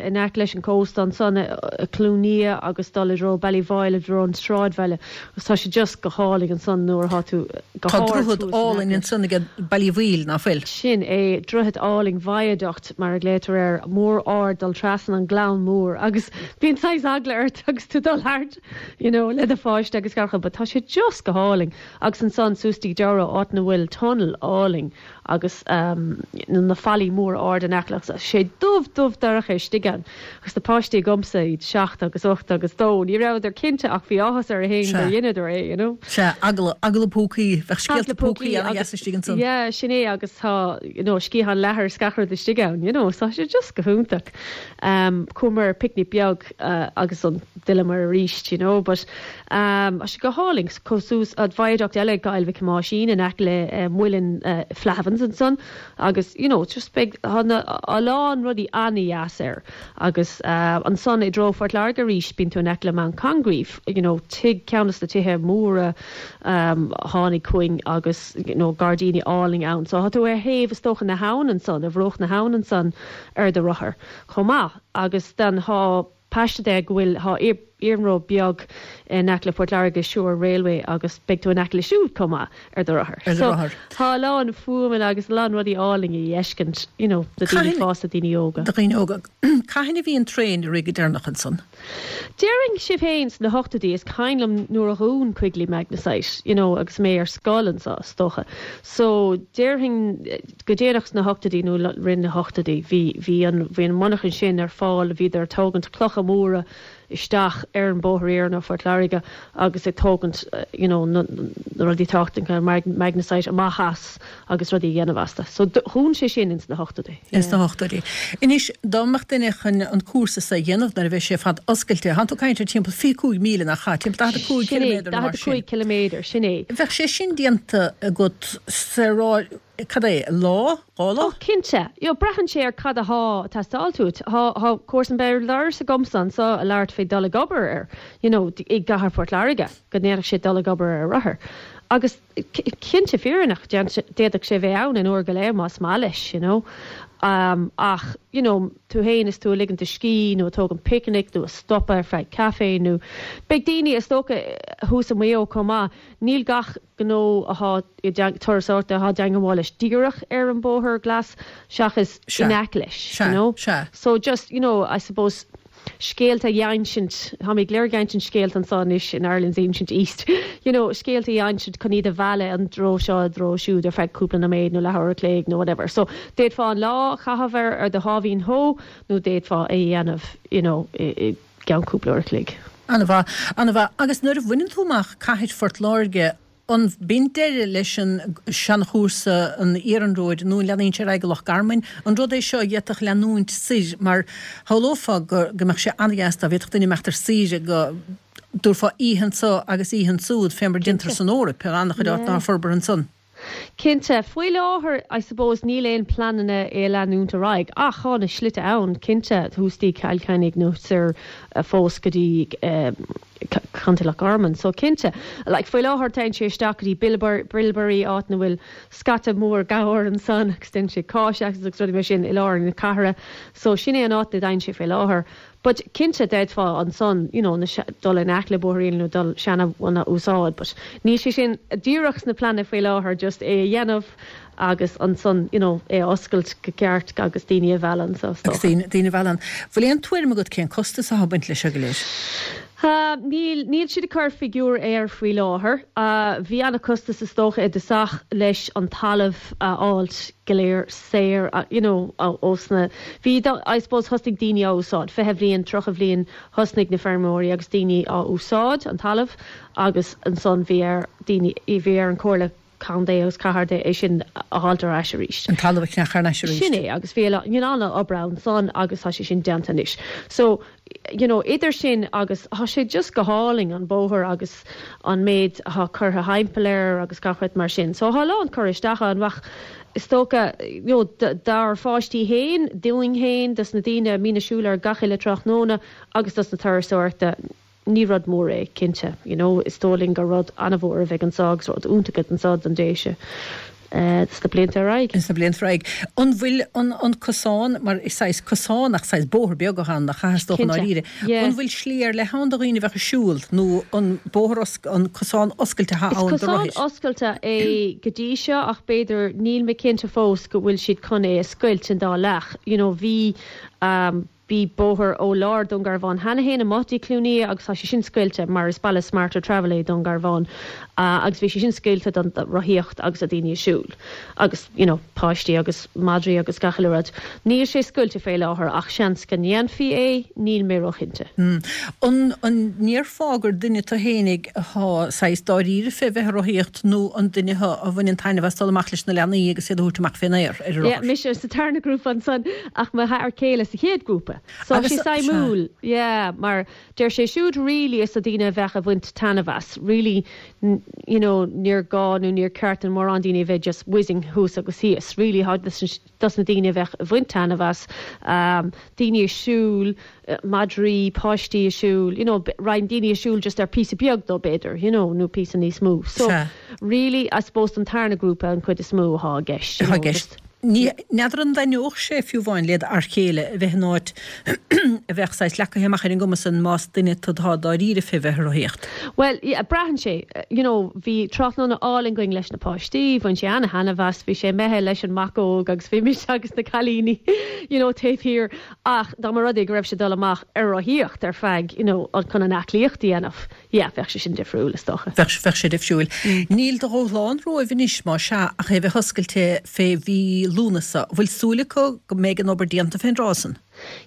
Speaker 5: in aice leis an cósta ansan i Cluain Lia agus dul i dtreo Ballyvoyle, i dtreo an sráidbhaile agus tá sé just go hálainn ansan nuair atá tú
Speaker 1: go Tá hard droichead thuas in aice álainn leis. ansan ag Ballyvoyle, ná fuil?
Speaker 5: Sin é, droichead álainn, viaduct mar a ghlaotar air, mór ard dul trasna an gleann mór agus bíonn saghas eagla ort agus tú dul thart you know le do pháiste agus gach rud but tá sé just go hálainn agus ansan suas dtí Durrow áit ina bhfuil tunnel álainn agus ehm na fallaí móra ard in aice leis tá sé dubh dubh dorcha istigh ann agus na páistí agamsa iad seacht agus ocht agus dó ní rabhadar cinnte ach bhí áthas orthu féin gur dheineadar é you know.
Speaker 1: Sea, eagla, eagla púcaí, bheadh scéalta púcaí ana-dheas istigh ansan.
Speaker 5: Yeah, sin é agus tá you know sciathán leathair is gach rud istigh ann you know so tá sé just go hiontach. Chuamar ar picnic beag agus an d'fhilleamar arís you know but tá sé go hálainn chomh suas an viaduct eile ag Coill Mhic Thomáisín in aice le Muileann Flahavans ansan agus you know just beidh tá na a lán rudaí an-dheas air agus ansan i dtreo Phort Láirge arís bíonn tú in aice le Mount Congreve you know tigh ceann de na tithe móra a tháinig chugainn agus you know gairdíní álainn ann so tá tú ar thaobh is dócha na habhann ansan ar bhruach na habhann ansan ar do rothar chomh maith agus then thá paiste de go bhfuil thá iarnród beag in aice le Port Láirge, Suir Railway agus beidh tú in aice le siúd chomh maith ar do rothar.
Speaker 1: Ar do rothar.
Speaker 5: So thá a lán fuaimeanna agus a lán rudaí álainn a fheiscint you know do daoine fásta, daoine óga.
Speaker 1: Do dhaoine óga. Cathain a bhí an traein ag rith go deireanach ansan?
Speaker 5: Déarfainn sibh féin sna hochtóidí, is cuimhin liom nuair a dhún Quigley Magnesite, you know, agus mé ar scoil anso, is dócha. So, déarfainn go déanach sna hochtóidí nó rith na hochtóidí, bhí, bhí an, bhí an monarchan sin ar fáil, bhíodar ag tógaint clocha móra isteach ar an bóthar iarainn ó Phort Láirge agus ag tógaint, you know, na, na rudaí tábhachtacha, magnesite amach as agus rudaí a dhéanamh astu. So dhún sé sin ins na hochtóidí.
Speaker 1: Ins na hochtóidí. Anois, dá mbeadh duine chun an cúrsa so a dhéanamh nuair a bheidh sé ar fad oscailte, thánn tú ag caint ar timpeall 25 míle, nach ea? Timpeall 45
Speaker 5: ciliméadar nó mar sin. 45 ciliméadar, sin é.
Speaker 1: Bheadh sé sin déanta agat sa rá. Cad é, lá? Lá?
Speaker 5: Oh, cinnte. You know, braitheann sé ar cad athá ag teastáilt uait. Thá, thá comharsan béal dorais agamsa anso a labhairt fé dul ag obair ar, you know, i gcathair Phort Láirge, go ndéanfadh sé dul ag obair ar a rothar. Agus cinnte fírinneach, d'fhéadfadh sé bheith ann in uair go leith más maith leis, you know. Ach, you know, tú fhéin is tú ag ligint do scíth nó ag tógaint picnic nó ag stopadh ar feadh caife nó beidh daoine, is dócha, thuas i Maigh Eo chomh maith, níl gach gnó athá i turasóireachta athá dteangmháil leis díreach ar an bóthar glas seachas in aice leis, you know. So just, you know, I suppose scéalta a dh'insint, táimid go léir ag insint scéalta anso anois in Ireland's Ancient East, you know, scéalta a dh'insint chun iad a mhealladh an dtreo seo, an dtreo siúd ar feadh cúpla nóiméad nó leathuair a chloig nó whatever. So d'fhéadfá an lá a chaitheamh ar ar do sháimhín shó nó d'fhéadfá é a dhéanamh, you know, i gceann cúpla uair a chloig.
Speaker 1: An-mhaith, an-mhaith. Agus nuair a bhaineann tú amach cathair Phort Láirge, an b'in deireadh leis an seanchúrsa an iarnróid nó an leanaíonn sé ar aghaidh go Loch Garman? An rud é seo a d'fhéadfadh leanúint soir mar shamhlófá go go mbeadh sé an-dheas dá bhféadfadh duine imeacht ar saoire go dtabharfá oíche anso agus oíche ansúd fé mar a déantar san Eoraip, in an-chuid áiteanna atá forbartha ansan.
Speaker 5: Cinnte. Faoi láthair, I suppose, níl aon pleananna é a leanúint ar aghaidh, ach thá na slite ann, cinnte, thuas dtí Cill Chainnigh nó soir fós go dtí Contae Loch Garman. So, cinnte, like, faoi láthair téann sé isteach go dtí Bilberry, áit 'na bhfuil scata mór gabhar ansan agus déanann sé cáis agus agus rudaí mar sin i lár na cathrach. So, sin é an áit 'na dtéann sé faoi láthair. But cinnte d'fhéadfá ansan you know na dul in aice le bóithrín nó dul seana one a úsáid but níl sé sin díreach sna pleananna faoi láthair just é a dhéanamh agus ansan you know é a oscailt go ceart agus daoine a mhealladh anso is
Speaker 1: Agus dócha. daoine a mhealladh ann. Bhfuil aon tuairim agat cén costas atá ag baint leis seo go léir?
Speaker 5: Níl, níl siad ag cur figiúr air faoi láthair. Bhí ana-chostas is dócha i dtosach leis an talamh a fháilt go léir saor you know ós na, bhí I suppose thosnaigh daoine á úsáid, 20 bhliain, 30 bhliain thosnaigh na feirmeoirí agus daoine á úsáid an talamh agus ansan bhí ar daoine, bhí ar an Comhairle Contae agus Cathair de é sin a fháilt ar ais arís.
Speaker 1: An talamh a cheannach thar n-ais arís.
Speaker 5: Sin é agus bhí a you know an-obair ansan agus tá sé sin déanta anois. So you know idir sin agus tá sé just go hálainn an bóthar agus an méid atá curtha thimpeall air agus gach rud mar sin. So tá a lán curtha isteach ann ach is dócha you know dár pháistí fhéin, dúinn fhéin, dos na daoine a mbíonn ag siúl air gach uile tráthnóna agus dos na turasóireachta, ní rud mór é, cinnte. You know is dóigh linn gur rud an-mhór a bheidh anso agus rud iontach anso don Déise sna blianta ar aghaidh.
Speaker 1: Sna blianta ar aghaidh. An bhfuil an an cosán, mar is saghas cosán ach saghas bóthar beag atá ann, nach ea, is dócha i ndáiríre. An bhfuil slí ar leith ann do dhaoine a bheadh ag siúl nó an bóthar an cosán oscailte atá
Speaker 5: ann do rothair? Is cosán oscailte é go dtí seo ach b'fhéidir, níl mé cinnte fós go bhfuil siad chun é a scoilt in dá leath. You know bhí Bhí bóthar ó lár Dún Garbhán cheana fhéin amuigh dtí Cluain Aodha agus tá sé sin scoilte mar is baile Smarter Travel é Dún Garbhán agus bhí sé sin scoilte don rothaíocht agus do daoine ag siúl agus you know páistí agus madraí agus gach uile rud. Níl sé scoilte fé láthair ach seans go ndéanfaí é, níl mé róchinnte.
Speaker 1: An ndéarfá gur duine tú fhéinig athá saghas dáiríre fé bheith ag rothaíocht nó an duine thú a bhaineann taitneamh as dul amach leis na leanaí agus iad a thabhairt amach fén aer ar an
Speaker 5: Yeah, rothar? mise sa tarna grúpa ansan ach mo fhear céile sa chéad grúpa. So tá sé suimiúil, yeah, mar deir sé siúd really is do daoine a bheadh ag bhaint taitneamh as, really, you know, níor gá nó níor ceart do mórán daoine a bheith just whizzing thuas agus thíos, really, tá dos na daoine a bheadh ag bhaint taitneamh as, daoine ag siúl, madraí, páistí ag siúl, you know, roinnt daoine ag siúl just ar píosa beag dó b'fhéidir, you know, nó píosa níos mó. So, really, I suppose don tarna grúpa an chuid is mó athá i gceist, you
Speaker 1: know, just. Ní, n'fheadar an dtaitneodh sé fiú amháin led fhear chéile a bheith in áit a bheadh saghas leacaithe amach ar an gcuma san más duine tú atá dáiríre fé bheith ag rothaíocht.
Speaker 5: Bhuel, yeah, braitheann sé. You know, bhí tráthnóna álainn againn leis na páistí, bhain sé ana-thaitneamh as, bhí sé imithe leis an mac óg agus bhí mise agus na cailíní, you know, taobh thiar. Ach dá mba rud é go raibh sé ag dul amach ar rothaíocht ar feadh, you know, chun an aclaíocht a dhéanamh, yeah, bheadh sé sin difriúil, is dócha.
Speaker 1: Bheadh, bheadh sé difriúil. Níl de dhúshlán romhaibh anois, más ea, ach é a bheith oscailte fé mhí Lúnasa. Bhfuil súil acu go mbeidh an obair déanta fén dtráth san?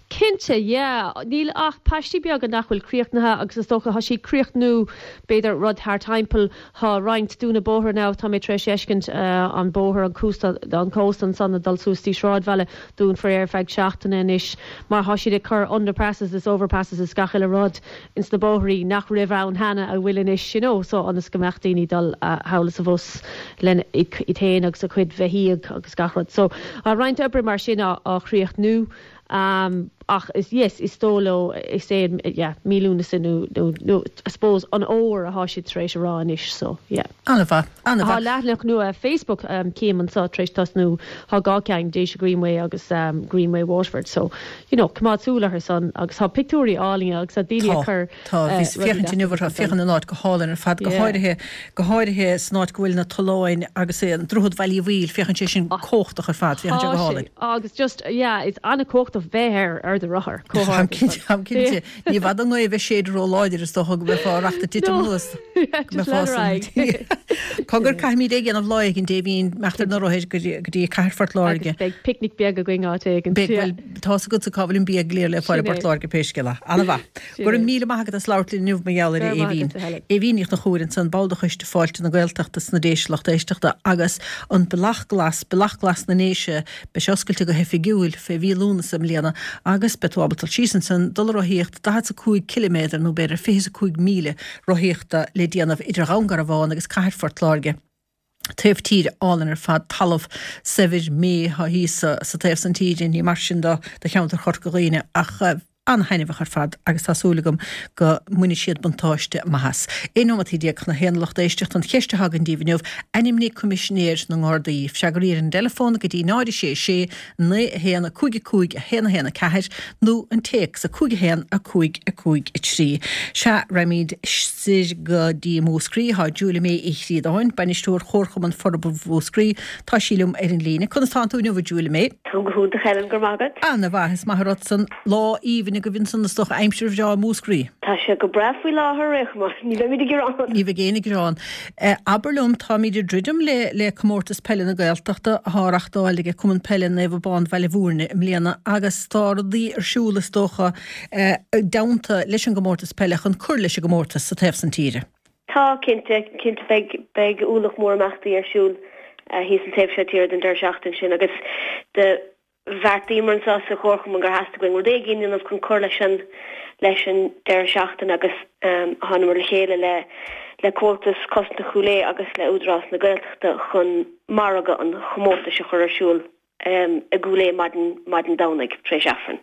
Speaker 5: Cinnte, yeah. Níl ach paistí beaga nach bhfuil críochnaithe agus is dócha tá siad críochnú b'fhéidir rud thar timpeall. Tá roinnt dúnadh bóithre now, tá mé tar éis fheiscint an bóthar, an cósta, an cósta ansan ag dul suas dtí sráidbhaile, dúnfar é ar feadh seachtaine anois mar tá siad ag cur underpasses is overpasses is gach uile rud ins na bóithrí nach raibh ann cheana a bhfuil anois, you know, so ionas go mbeadh daoine dul thall is abhus lena iad féin agus a gcuid bheithígh agus gach rud. So tá roinnt oibre mar sin á chríochnú ach is, yes, is dóigh leo, is é, yeah, mí Lúnasa nó, nó, nó I suppose an fhómhair atá siad tar éis a rá anois, so yeah.
Speaker 1: An-mhaith, an-mhaith.
Speaker 5: Tá leathanach nua Facebook cím anseo tar éis tosnú, tá dhá ceann, Déise Greenway agus Greenway Waterford, so you know, coimeád súil orthu san agus tá pictiúirí álainne agus tá daoine ag cur
Speaker 1: Tá, bhíos ag féachaint inniu orthu, féachann an áit go hálainn ar fad, go háirithe, go háirithe san áit go bhfuil na tolláin agus an Droichead Bhaile Uí Bhaoill, féachann sé sin cumhachtach ar fad, féachann sé go hálainn.
Speaker 5: Agus just, yeah, is an-chumhachtach bheith ar, ar do rothar, chomh
Speaker 1: hard is san. Táim cinnte, ní i bhfad an ghaoth a bheith ag séideadh ró-láidir is dócha go mbeifeá ag racht ag titim anuas.
Speaker 5: Go mbeifeá san.
Speaker 1: Cogar, caithfimid é a dhéanamh lá éigin, Aoibhinn, imeacht ar na rothair go dtí cathair Phort Láirge.
Speaker 5: Agus beidh picnic beag againn áit éigin.
Speaker 1: Beidh, bhuel, tá's agatsa cá bhfuil an bia go léir le fáil i
Speaker 5: Sin
Speaker 1: bPort
Speaker 5: é.
Speaker 1: Láirge pé scéal é. Ana-mhaith.
Speaker 5: Sin
Speaker 1: Go raibh
Speaker 5: é.
Speaker 1: míle maith agat as labhairt linn inniu mar gheall
Speaker 5: Go
Speaker 1: air, a
Speaker 5: raibh maith
Speaker 1: Aoibhinn.
Speaker 5: agat, a Helen.
Speaker 1: Aoibhinn Ní Chonchúir ansan, ball de Choiste Fáilte na Gaeltachta sna Déise lucht éisteachta agus an Bealach Glas, Bealach Glas na nDéise, beidh sé oscailte go hoifigiúil fé mhí Lúnasa i mbliana agus beidh tú ábalta dul síos ansan, dul ag rothaíocht 45 ciliméadar nó b'fhéidir 25 míle rothaíochta le déanamh idir Dhún Garbhán agus cathair Phort Láirge. Taobh tíre álainn ar fad, talamh saibhir méith atá thíos sa taobh san tíre, ní mar sin do do cheantar Chorca Dhuibhne ach an-thaitneamhach ar fad agus tá súil agam go mbainfidh siad buntáiste maith as. 11 nóimeataí chun a haon a lucht éisteachta an cheist atá againn daoibh inniu, ainmnigh Coimisinéir na nGardaí. Freagraí ar an dteileafón go dtí 0 6 6 9 1 5 5 1 1 4 nó an téacs 5 1 5 5 3. Sea, raghaimid soir go dtí Múscraí. Tá Julia May Uí Chríodáin, Bainisteoir Chomharchumann Forbartha Mhúscraí, tá sí liom ar an líne. Conas tánn tú inniu, a Julia May?
Speaker 6: Táim go hiontach, Helen, go raibh maith agat.
Speaker 1: Ana mhaith, is maith an rud san. Lá aoibhinn agaibh ansan is dócha, aimsir bhreá i Múscraí.
Speaker 6: Tá sé go breá faoi láthair, ar aon chuma. Ní bheimid ag gearán.
Speaker 1: Ní bheidh éinne ag gearán. Abair liom, táimid ag druidim le le Comórtas Peile na Gaeltachta atá á reachtáil ag Cumann Peile Naomh Abán Bhaile Bhúirne i mbliana agus tá rudaí ar siúl is dócha i dteannta leis an gcomórtas peile chun cur leis an gcomórtas sa taobh san tíre.
Speaker 6: Tá, cinnte, cinnte beidh beidh ualach mór imeachtaí ar siúl thíos an taobh seo tíre don deireadh seachtaine sin agus do bheartaíomar anseo sa Chomharchumann gur theastaigh uainn rud éigin a dhéanamh chun cur leis an leis an deireadh seachtaine agus thánamar le chéile le le Comhaltas Cosanta Chúil Aodha agus le Údarás na Gaeltachta chun margadh an chomórtais a chur ar siúl i gCúil Aodha maidin maidin Domhnaigh tar éis Aifrinn.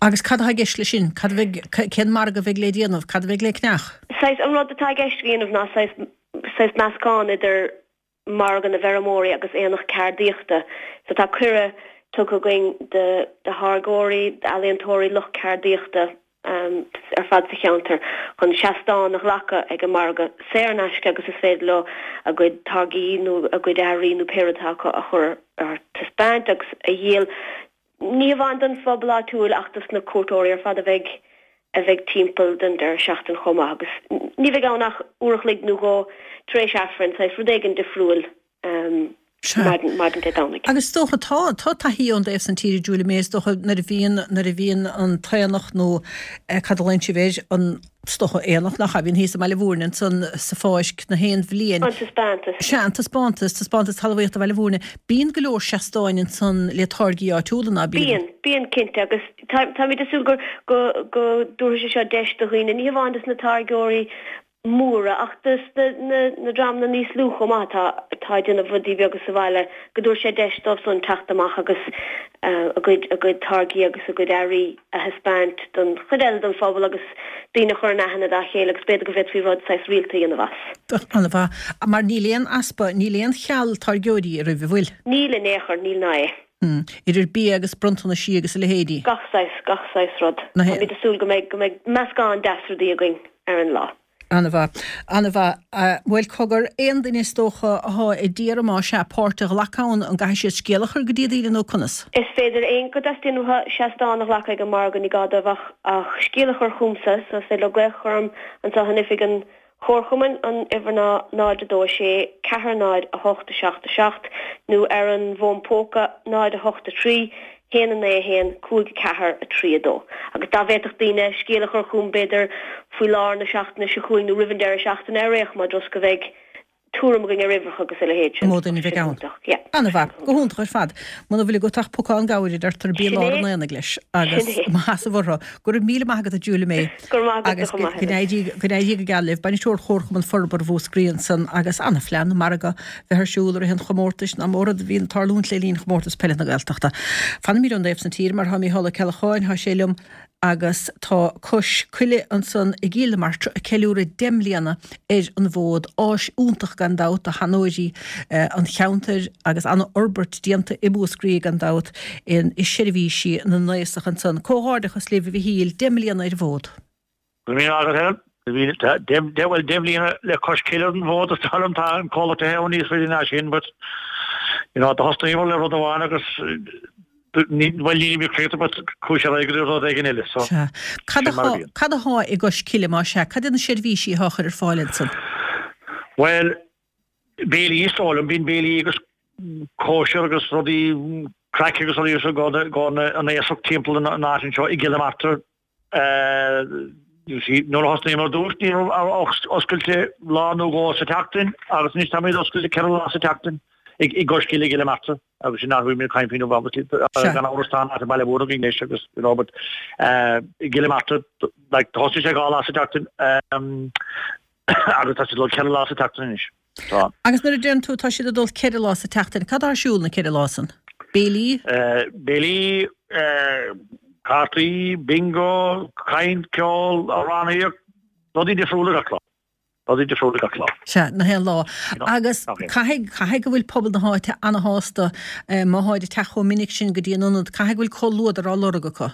Speaker 1: Agus cad atá i gceist leis sin? Cad a bheidh, cén margadh a bheidh le déanamh? Cad a bheidh le ceannach?
Speaker 6: Saghas, an rud atá i gceist a dhéanamh ná saghas saghas meascán idir margadh na bhfeirmeoirí agus aonach ceardaíochta. So tá cuireadh tugtha againn do tháirgeoirí, d'ealaíontóirí, lucht ceardaíochta ar fad sa cheantar chun seastán a ghlacadh ag an margadh saor in aisce agus is féidir leo a gcuid táirgí nó a gcuid earraí nó pé rud atá acu a chur ar taispeáint agus a dhíol Ní hamháin don phobal áitiúil ach dos na cuairteoirí ar fad a bheidh a bheidh timpeall don deireadh seachtaine chomh maith agus ní bheidh ann ach uair a chloig nó dhó tar éis Aifrinn, saghas rud éigin difriúil maidin maidin Dé Domhnaigh.
Speaker 1: Agus is dócha, tá, tá taithí ón dtaobh san tíre, Julia May, is dócha nuair a bhíonn, nuair a bhíonn an t-aonach nó cad a ghlaonn sibh air, an, is dócha aonach nach ea, a bhíonn thíos i mBaile Bhúirne ansan sa Pháirc na haon bhliain.
Speaker 6: An taispeántas.
Speaker 1: Sea, an taispeántas, taispeántas talmhaíochta Bhaile Bhúirne. Bíonn go leor seastáin ansan le táirgí áitiúla, ná
Speaker 6: bíonn? Bíonn, bíonn cinnte agus táimid ag súil go, go, go dtabharfaidh sé seo deis do dhaoine, ní hamháin dos na táirgeoirí móra ach dos na, na, na dreamanna níos lú chomh maith atá, atá ag déanamh rudaí beaga sa bhaile, go dtabharfaidh sé deis dóibh san teacht amach agus a gcuid, a gcuid táirgí agus a gcuid earraí a thaispeáint don chuid eile den phobal agus daoine a chur in aithne dá chéile agus b'fhéidir go bhféadfaí rud saghas rialta a dhéanamh as.
Speaker 1: An-mhaith. Mar níl aon easpa, níl aon cheal táirgeoirí oraibh, an bhfuil?
Speaker 6: Níl in aon chor, níl ná é.
Speaker 1: Idir bia agus bronntanaisí agus a leithéidí.
Speaker 6: Gach saghas, gach saghas rud. Táimid ag súil go mbeidh, go mbeidh meascán deas rudaí againn ar an lá.
Speaker 1: An-mhaith. An-mhaith. Bhuel, cogar, aon duine is dócha athá ag iarraidh más ea páirt a ghlacadh ann, an gcaithfidh siad scéal a chur go dtí daoine nó conas?
Speaker 6: Is féidir aon go dteastaíonn uathu seastán a ghlacadh ag an margadh, ní gá dóibh ach ach scéal a chur chugamsa, so is féidir leo glaoch a chur orm anseo in oifig an Chomharchumainn, an uimhir ná 0 2 6 4 0 8 7 7, nó ar an bhfón póca 0 8 3. 1 9 1 5 4 3 2. Agus dá bhféadfadh daoine scéal a chur chugam b'fhéidir faoi lár na seachtaine seo chugainn nó roimh an deireadh seachtaine ar aon chuma just go mbeidh tuairim againn ar uimhreacha agus a leithéid sin.
Speaker 1: An mó duine a bheidh ann.
Speaker 6: Yeah.
Speaker 1: An-mhaith. Go hiontach ar fad. Muna bhfuil agat ach pocán gabhair a deirtear bí i lár an aonaigh leis agus maith as orthu. Go raibh míle maith agat a Julia May.
Speaker 6: Go raibh maith agat
Speaker 1: Agus chomh maith. Go n-éirí go n-éirí go geal libh. Bainisteoir Chomharchumann Forbartha Mhúscraí ansan agus an-phlean margadh bheith ar siúl i rith an chomórtais nach mór rud a bhíonn ag tarlúint le linn chomórtas peile na Gaeltachta. Fanfaimid ón dtaobh san tíre mar tá Mícheál Ó Ceallacháin, tá sé liom agus tá Cois Coille ansan i gCill na Martra ag ceiliúradh 10 mbliana ar an bhfód. Áis iontach gan dabht do sheanóirí an cheantair agus an-fhorbairt déanta i Múscraí gan dabht i seirbhísí na n-aosach ansan. Comhghairdeachas libh a Mhichíl, 10
Speaker 7: mbliana ar an
Speaker 1: bhfód.
Speaker 7: Go raibh míle maith agat Helen. Bhuel, 10 mbliana le Cois Cille ar an bhfód is dóigh liom tá an comhlacht tithe ann níos faide ná sin but you know do thosnaíomar le rud amháin agus bhuel nílimid críochnaithe but chuaigh sé ar aghaidh go dtí rud éigin eile so
Speaker 1: Sea. Cad sin mar a bhíonn. Cad athá i gCois Cille más ea? Cad iad na seirbhísí athá á chur ar fáil ansan?
Speaker 7: Bhuel, béilí is dóigh liom, bíonn béilí agus cóisir agus rudaí craic agus rudaí i gcomhair an aosach timpeall an áit anseo i gCill na Martra You see, nuair a thosnaíomar ar dtús ní raibh ach oscailte lá nó dhó sa tseachtain agus anois táimid oscailte 4 lá sa tseachtain i gCois Cille i gCill na Martra agus sin athrú mé caint faoin obviously gan amhras tá an áit i Baile Mhúirne againn anois agus you know but i gCill na Martra like thosaigh sé 2 lá sa tseachtain agus tá siad ag dul 4 lá sa tseachtain anois.
Speaker 1: Tá. Agus nuair a deireann tú tá siad ag dul 4 lá sa tseachtain, cad atá ar siúl na 4 lá san? Béilí?
Speaker 7: Béilí, cártaí, bingo, caint, ceol, amhránaíocht, rudaí difriúla gach lá. Rudaí
Speaker 1: difriúla gach lá. Sea, nach aon lá. Agus caithfidh, caithfidh go bhfuil pobal na háite ana-shásta má tháid ag teacht chomh minic sin go dtí an ionad, caithfidh go bhfuil comhluadar á lorg acu.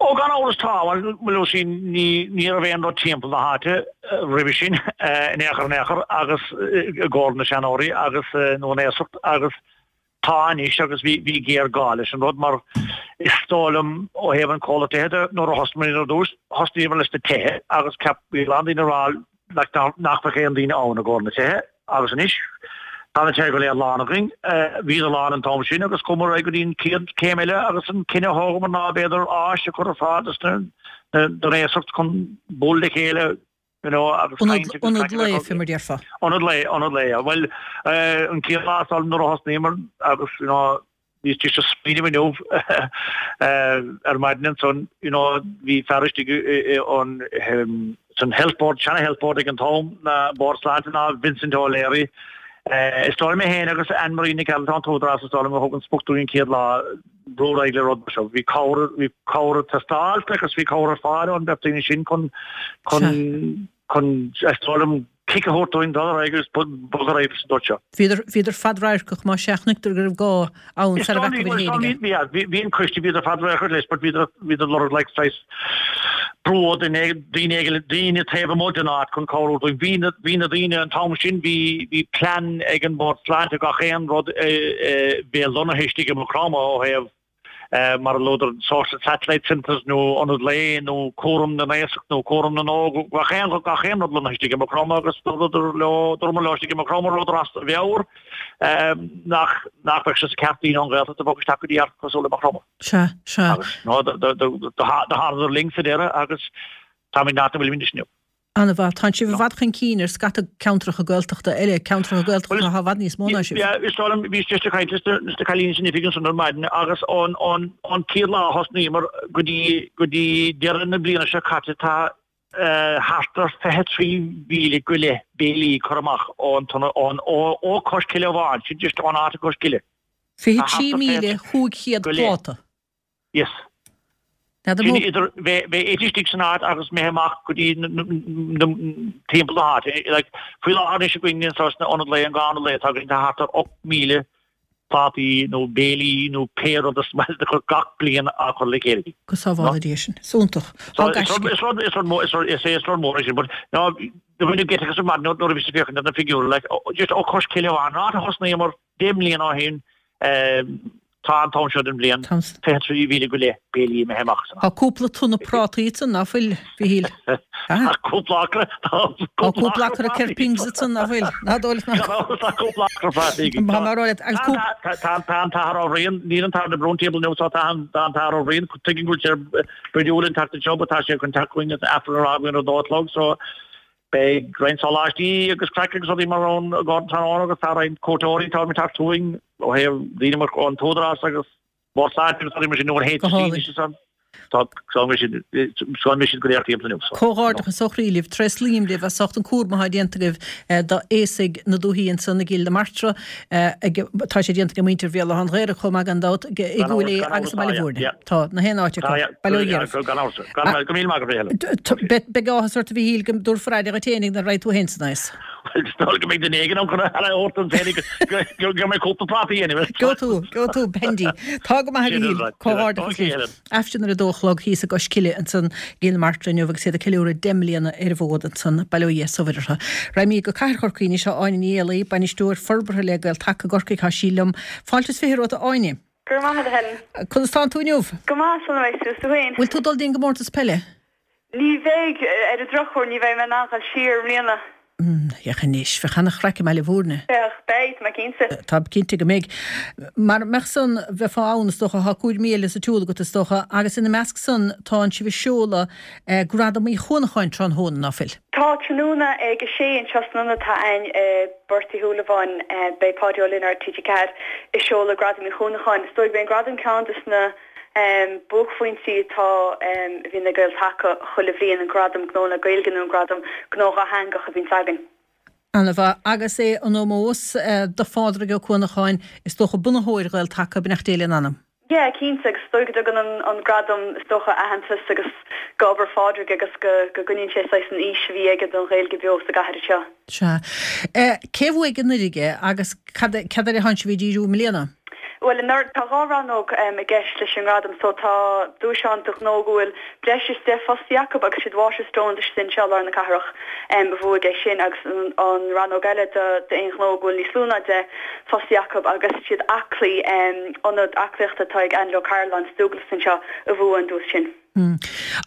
Speaker 7: Ó, gan amhras tá, bhuel you see ní ní raibh aon rud timpeall na háite roimhe sin in aon chor in aon chor agus i gcomhair na seanóirí agus nó an aosacht agus tá anois agus bhí bhí géarghá leis an rud mar is dóigh liom ó thaobh an comhlacht tithe de nuair a thosnaíomar ar dtús thosnaíomar leis na tithe agus cheap bhí a lán daoine ag rá like nach mbeadh aon daoine ann i gcomhair na tithe agus anois tá na tithe go léir lán againn. Bhíodar lán an t-am sin agus chuamar ar aghaidh go dtí an chéad chéim eile agus an cinneadh a thógamar ná b'fhéidir áis a chur ar fáil dos na don aosacht chun bualadh le chéile you know agus
Speaker 1: caint agus Ionad lae fé mar déarfá.
Speaker 7: Ionad lae, ionad lae. Bhuel an chéad lá nuair a thosnaíomar agus you know Bhíos just ag smaoineamh inniu ar maidin ansan, you know, bhí fear istigh ón san Health Board, seana Health Board ag an t-am, na Bord Sláinte ná Vincent O'Leary. Is dóigh liom é féin agus Anne Marie Nic Gearailt ón t-údarás is dóigh liom a thug an sprioc dúinn an chéad lá brú ar aghaidh le rud mar seo. Bhí cabhair, bhí cabhair ag teastáil agus bhí cabhair ar fáil ón bheirt daoine sin chun, chun, chun, is dóigh liom, cic a thabhairt dúinn dul ar aghaidh agus bogadh ar aghaidh sa dóigh seo.
Speaker 1: Bhíodar, bhíodar fadradharcach más ea, chonaiceadar go raibh gá ann sara bhfeacadar
Speaker 7: féinig é. Bhí, bhí an coiste, bhíodar fadradharcach leis but bhíodar, bhíodar ag lorg like saghas brú ó duine, daoine éigin, daoine taobh amuigh den áit chun cabhrú dúinn. Bhí na, bhí na daoine an t-am sin, bhí, bhí plean ag an Bhord Sláinte gach aon rud a bheith lonnaithe istigh i Maigh Chromtha ó thaobh mar a luadar sort satellite centres nó ionad lae nó cúram na n-aosach nó cúram na n-óg, gach aon gach aon rud lonnaithe istigh i Maigh Chromtha agus dúradar leo, dúramar leo istigh i Maigh Chromtha rabhadar as a mheabhair nach nach mbeadh sé sa ceart daoine ón Ghaeltacht a bhogadh isteach go dtí áit cosúil le Maigh Chromtha.
Speaker 1: Sea, sea.
Speaker 7: Agus no, do do do do thánadar linn sa deireadh agus táimid in áit a bhfuilimid anois inniu.
Speaker 1: An-mhaith. Tánn sibh i bhfad chun cinn ar scata ceantracha Gaeltachta eile, ceantracha Gaeltachta atá i bhfad níos mó ná sibh.
Speaker 7: Yeah, is dóigh liom, bhíos just ag caint leis na cailíní san oifig ansan ar maidin agus ón ón chéad lá a thosnaíomar go dtí go dtí deireadh na bliana seo caite tá thart ar 23,000 go leith béilí curtha amach ón ón ó ó Cois Cille amháin, sin just ón áit i gCois Cille.
Speaker 1: 23,500 pláta.
Speaker 7: Yes.
Speaker 1: N'fheadar
Speaker 7: Sin idir bheith ite istigh san áit agus imithe amach go dtí timpeall na háite. Like, faoi láthair anois againn anseo sna ionad lae, an dhá ionad lae atá againn, tá thart ar 8,000 plátaí nó béilí nó pé rud is maith leat a chur gach bliain á chur le chéile.
Speaker 1: Go sábhála Dia sinn. Is iontach.
Speaker 7: Tá gaisce. Is rud, is rud mór, is rud, is é is rud mór é sin, but no, do bhain geit as ar maidin nuair a bhí sí ag féachaint ar na figiúirí, like, just ó Cois Cille amháin, an áit a thosnaíomar 10 mbliana ó shin, Tá an t-am seo den bhliain 23,000 go leith béilí imithe amach
Speaker 1: san. Tá cúpla tonna prátaí ansan, ná fuil, Mhichíl?
Speaker 7: Tá cúpla acra,
Speaker 1: tá cúpla acra ceirpings ansan, ná fuil? Ná dóigh leat nach.
Speaker 7: Tá cúpla acra prátaí againn.
Speaker 1: Tá mé a rá leat, agus cúpla.
Speaker 7: Tá an tAthair Ó Riain, níl an tAthair de Brún timpeall inniu so tá an tAthair Ó Riain, tuigim go bhfuil sé brúidiúil an tseachtain seo but tá sé chun teacht chugainn agus Aifreann a rá againn ar a dó a chlog so beidh roinnt sóláistí agus craic agus rudaí mar ann i gcomhair an tráthnóna agus tá roinnt cuairteoirí atá ag teacht chugainn ó thaobh daoine mar ón t-údarás agus Bord Sláinte agus rudaí mar sin nó an
Speaker 1: Go
Speaker 7: HSE
Speaker 1: hálainn.
Speaker 7: anois is ann. Tá tá mbeidh siad go léir timpeall inniu so.
Speaker 1: Comhghairdeachas ó chroí libh, tréaslaím libh as ucht an cúram atá déanta agaibh d'aosaigh na dúthaí ansan i gCill na Martra. Tá sé déanta ag muintir Bhéal Átha an Ghaorthaidh chomh maith gan dabht, i gCúil Aodha agus i mBaile Bhúirne. Tá, na haon áit acu. Bail ó Dhia oraibh.
Speaker 7: Gan amhras. Go míle maith agat, a
Speaker 1: Helen. Beidh áthas ort a Mhichíl go dtabharfar aire dhuit fhéinig nuair a raghaidh tú fhéin san aos.
Speaker 7: Bhuel, is dóigh go mbeidh duine éigin ann chun aire a thabhairt dom féinig go mbeidh cúpla práta a dhéanamh.
Speaker 1: Gheobhaidh tú, gheobhaidh tú, Bendy. Tá go maith a Mhichíl. Comhghairdeachas libh. Aifreann ar a dó a chlog thíos i gCois Cille ansan i gCill na Martra inniu agus iad ag ceiliúradh 10 mbliana ar an bhfód ansan. Bail ó Dhia is ó Mhuire orthu. Raghaimid go Cathair Chorcaí anois. Tá Áine Ní Éalaí, Bainisteoir Forbartha le Gael Taca i gCorcaigh, tá sí liom. Fáilte is 20 romhat a Áine.
Speaker 8: Go raibh maith agat a Helen.
Speaker 1: Conas tánn tú inniu?
Speaker 8: Go maith, slán a bheidh tú, is tú féin?
Speaker 1: Bhfuil tú ag dul dtí an gcomórtas peile?
Speaker 8: Ní bheidh, ar an drochuair, ní bheidh mé in ann dul siar i mbliana.
Speaker 1: Féach anois, bheadh ana-chraic i mBaile Bhúirne.
Speaker 8: Bheadh, beidh, tá mé cinnte.
Speaker 1: Tá cinnte go mbeidh. Mara mbeadh san, bheifeá ann, is dócha, tá cúraimí eile sa tsiúl agat, is dócha, agus ina measc san tánn sibh ag seoladh Gradam Uí Chuanacháin tráthnóna, ná fuil?
Speaker 8: Tá, tráthnóna ag a sé anseo san ionad atá a'ainn i bPort Uí Shúilleabháin, beidh Páidí Ó Lionáird, TG4, ag seoladh Gradam Uí Chuanacháin. Is dóigh gurb é an gradam ceann des na. Buaicphointí atá a bhíonn ag Gael Taca chuile bhliain, an Gradam Gnó le Gaeilge nó an Gradam Gnó Dhátheangach a bhíonns againn.
Speaker 1: Ana-mhaith. Agus é in ómós do Phádraig Ó Cuanacháin, is dócha, bunaitheoir Ghael Taca, beannacht Dé lena anam.
Speaker 8: Yeah, cinnte, agus is dóigh go dtugann an gradam is dócha aitheantas agus go obair Phádraig agus go go gcoinníonn sé saghas an fhís a bhí aige don Ghaeilge beo sa gcathair
Speaker 1: anseo. Sea. Cé a bhuaigh anuraidh agus cad cad air atánn sibh ag díriú i mbliana?
Speaker 8: Bhuel, anuraidh, tá 2 rannóg i gceist leis an ngradam so tá duais ann do ghnó go bhfuil breis is 10 fostaí acu agus siad Waterstones istigh anseo i lár na cathrach a bhuaigh é sin agus an rannóg eile d'aon ghnó go bhfuil níos lú ná 10 fostaí acu agus siad Aclaí, ionad aclaíochta atá ag Angela O'Carolan sa Dúglas anseo a bhuaigh an duais sin.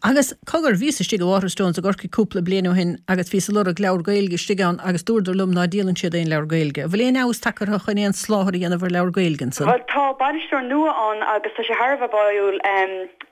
Speaker 1: Agus, cogar, bhíos istigh i Waterstones i gCorcaigh cúpla bliain ó shin agus bhíos ag lorg leabhar Gaeilge istigh ann agus dúradar liom ná díolann siad aon leabhar Gaeilge. An bhfuil aon fheabhas tagtha orthu chun aon soláthar a dhéanamh ar leabhar Gaeilge ansan?
Speaker 8: Bhuel, tá bainisteoir nua ann agus tá sé thar a bheith báúil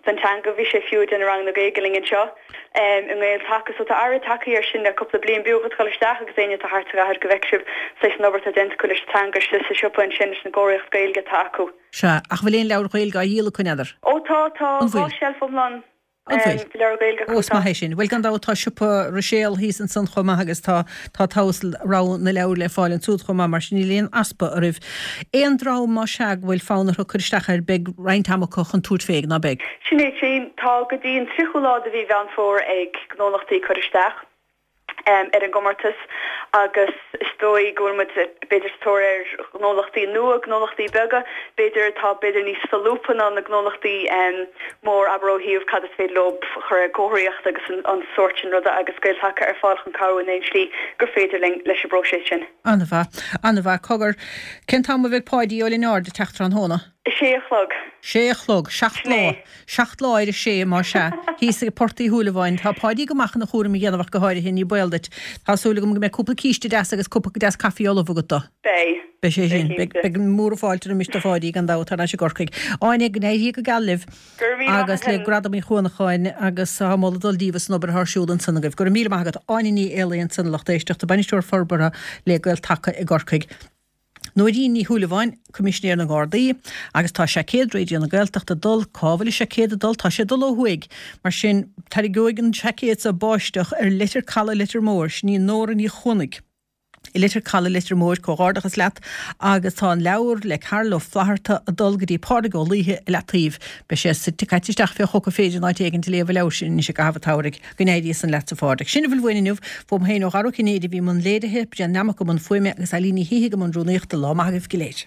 Speaker 8: don teanga. Bhí sé fiú ag déanamh ranganna Gaeilge linn anseo i nGael Taca. So tá athrú tagtha air sin le cúpla bliain. B'fhiú dhuit dul isteach agus éinne atá thart sa gcathair go bhfeicfidh sibh saghas an obair atá déanta acu leis an teanga istigh sa siopa ansin leis an gcomharthaíocht Gaeilge atá acu.
Speaker 1: Sea, ach bhfuil aon leabhair Ghaeilge á dhíol acu, n'fheadar?
Speaker 8: Ó tá, tá
Speaker 1: An bhfuil?
Speaker 8: seilf iomlán
Speaker 1: An bhfuil?
Speaker 8: de leabhair Ghaeilge
Speaker 1: Ó,
Speaker 8: acu,
Speaker 1: is
Speaker 8: tá.
Speaker 1: maith é sin. Bhuel, gan dabht tá siopa Ruiséal thíos ansan chomh maith agus tá, tá togha rogha na leabhar le fáil ansúd chomh maith, mar sin níl aon easpa oraibh. Aon dream más ea go bhfuil fonn orthu cur isteach air, beidh roinnt ama acu chun tabhairt fé, ná beidh?
Speaker 8: Sin é sin. Tá go dtí an 30ú lá de mhí Mheán Fómhair ag gnólachtaí cur isteach. ar an gcomórtas agus is dóigh go bhfuil muid b'fhéidir sa tóir ar ghnólachtaí nua, gnólachtaí beaga, b'fhéidir atá b'fhéidir níos solúbtha ná na gnólachtaí mór, abair ó thaobh cad is féidir leo chur ar comharthaíocht agus an sórt sin ruda agus Gael Taca ar fáil chun cabhrú in aon slí gur féidir linn leis an bpróiseas sin.
Speaker 1: An-mhaith. An-mhaith. Cogar, cén t-am a bheidh Páidí Ó Lionáird ag teacht tráthnóna?
Speaker 8: A sé a chlog.
Speaker 1: Sé a chlog. 7 lá. 7 lá ar a sé, más ea. Thíos ag Port Uí Shúilleabháin. Tá Páidí go maith chun a chúram a dhéanamh ach go háirithe, ní baol duit. Tá súil agam go mbeidh cúpla císte deas agus cupa deas caife ullamh agat dó.
Speaker 8: Beidh.
Speaker 1: Beidh sé sin. Beidh cinnte. Beidh mór fáilte roimis do Pháidí gan dabht thar n-ais i gCorcaigh. Áine, go n-éirí go geal libh.
Speaker 8: Go raibh míle maith
Speaker 1: Agus
Speaker 8: agat,
Speaker 1: le
Speaker 8: Helen.
Speaker 1: Gradam Uí Chuanacháin agus tá moladh ag dul díobh as an obair atá ar siúl ansan agaibh. Go raibh míle maith agat. Áine Ní Éalaí ansan, a lucht éisteachta, Bainisteoir Forbartha le Gael Taca i gCorcaigh. Nóirín Ní Shúilleabháin, Coimisinéir na nGardaí, agus tá seaicéad Raidió na Gaeltachta ag dul, cá bhfuil an seaicéad ag dul? Tá sé ag dul ó thuaidh, mar sin tarraingeoidh an seaicéad seo báisteach ar Leitir Calaidh Leitir Móir, sin í Nóra Ní Chuanaigh i Leitir Calaidh Leitir Móir, comhghairdeachas leat, agus tá an leabhar le Carl Ó Flatharta ag dul go dtí Pádraig Ó Laoithe i Leataoibh, beidh sé suite caite isteach fé choca féir in áit éigin ag léamh an leabhair sin anois i gcaitheamh an tsamhraidh. Go n-éirí san leatsa a Phádraig. Sin a bhfuil uainn inniu. Fúm féin ó Dhara Ó Cinnéide a bhí i mbun léirithe, Brian Nammock i mbun fuaime agus Eileen Ní Shíthigh i mbun rúnaíochta. Lá maith agaibh go léir.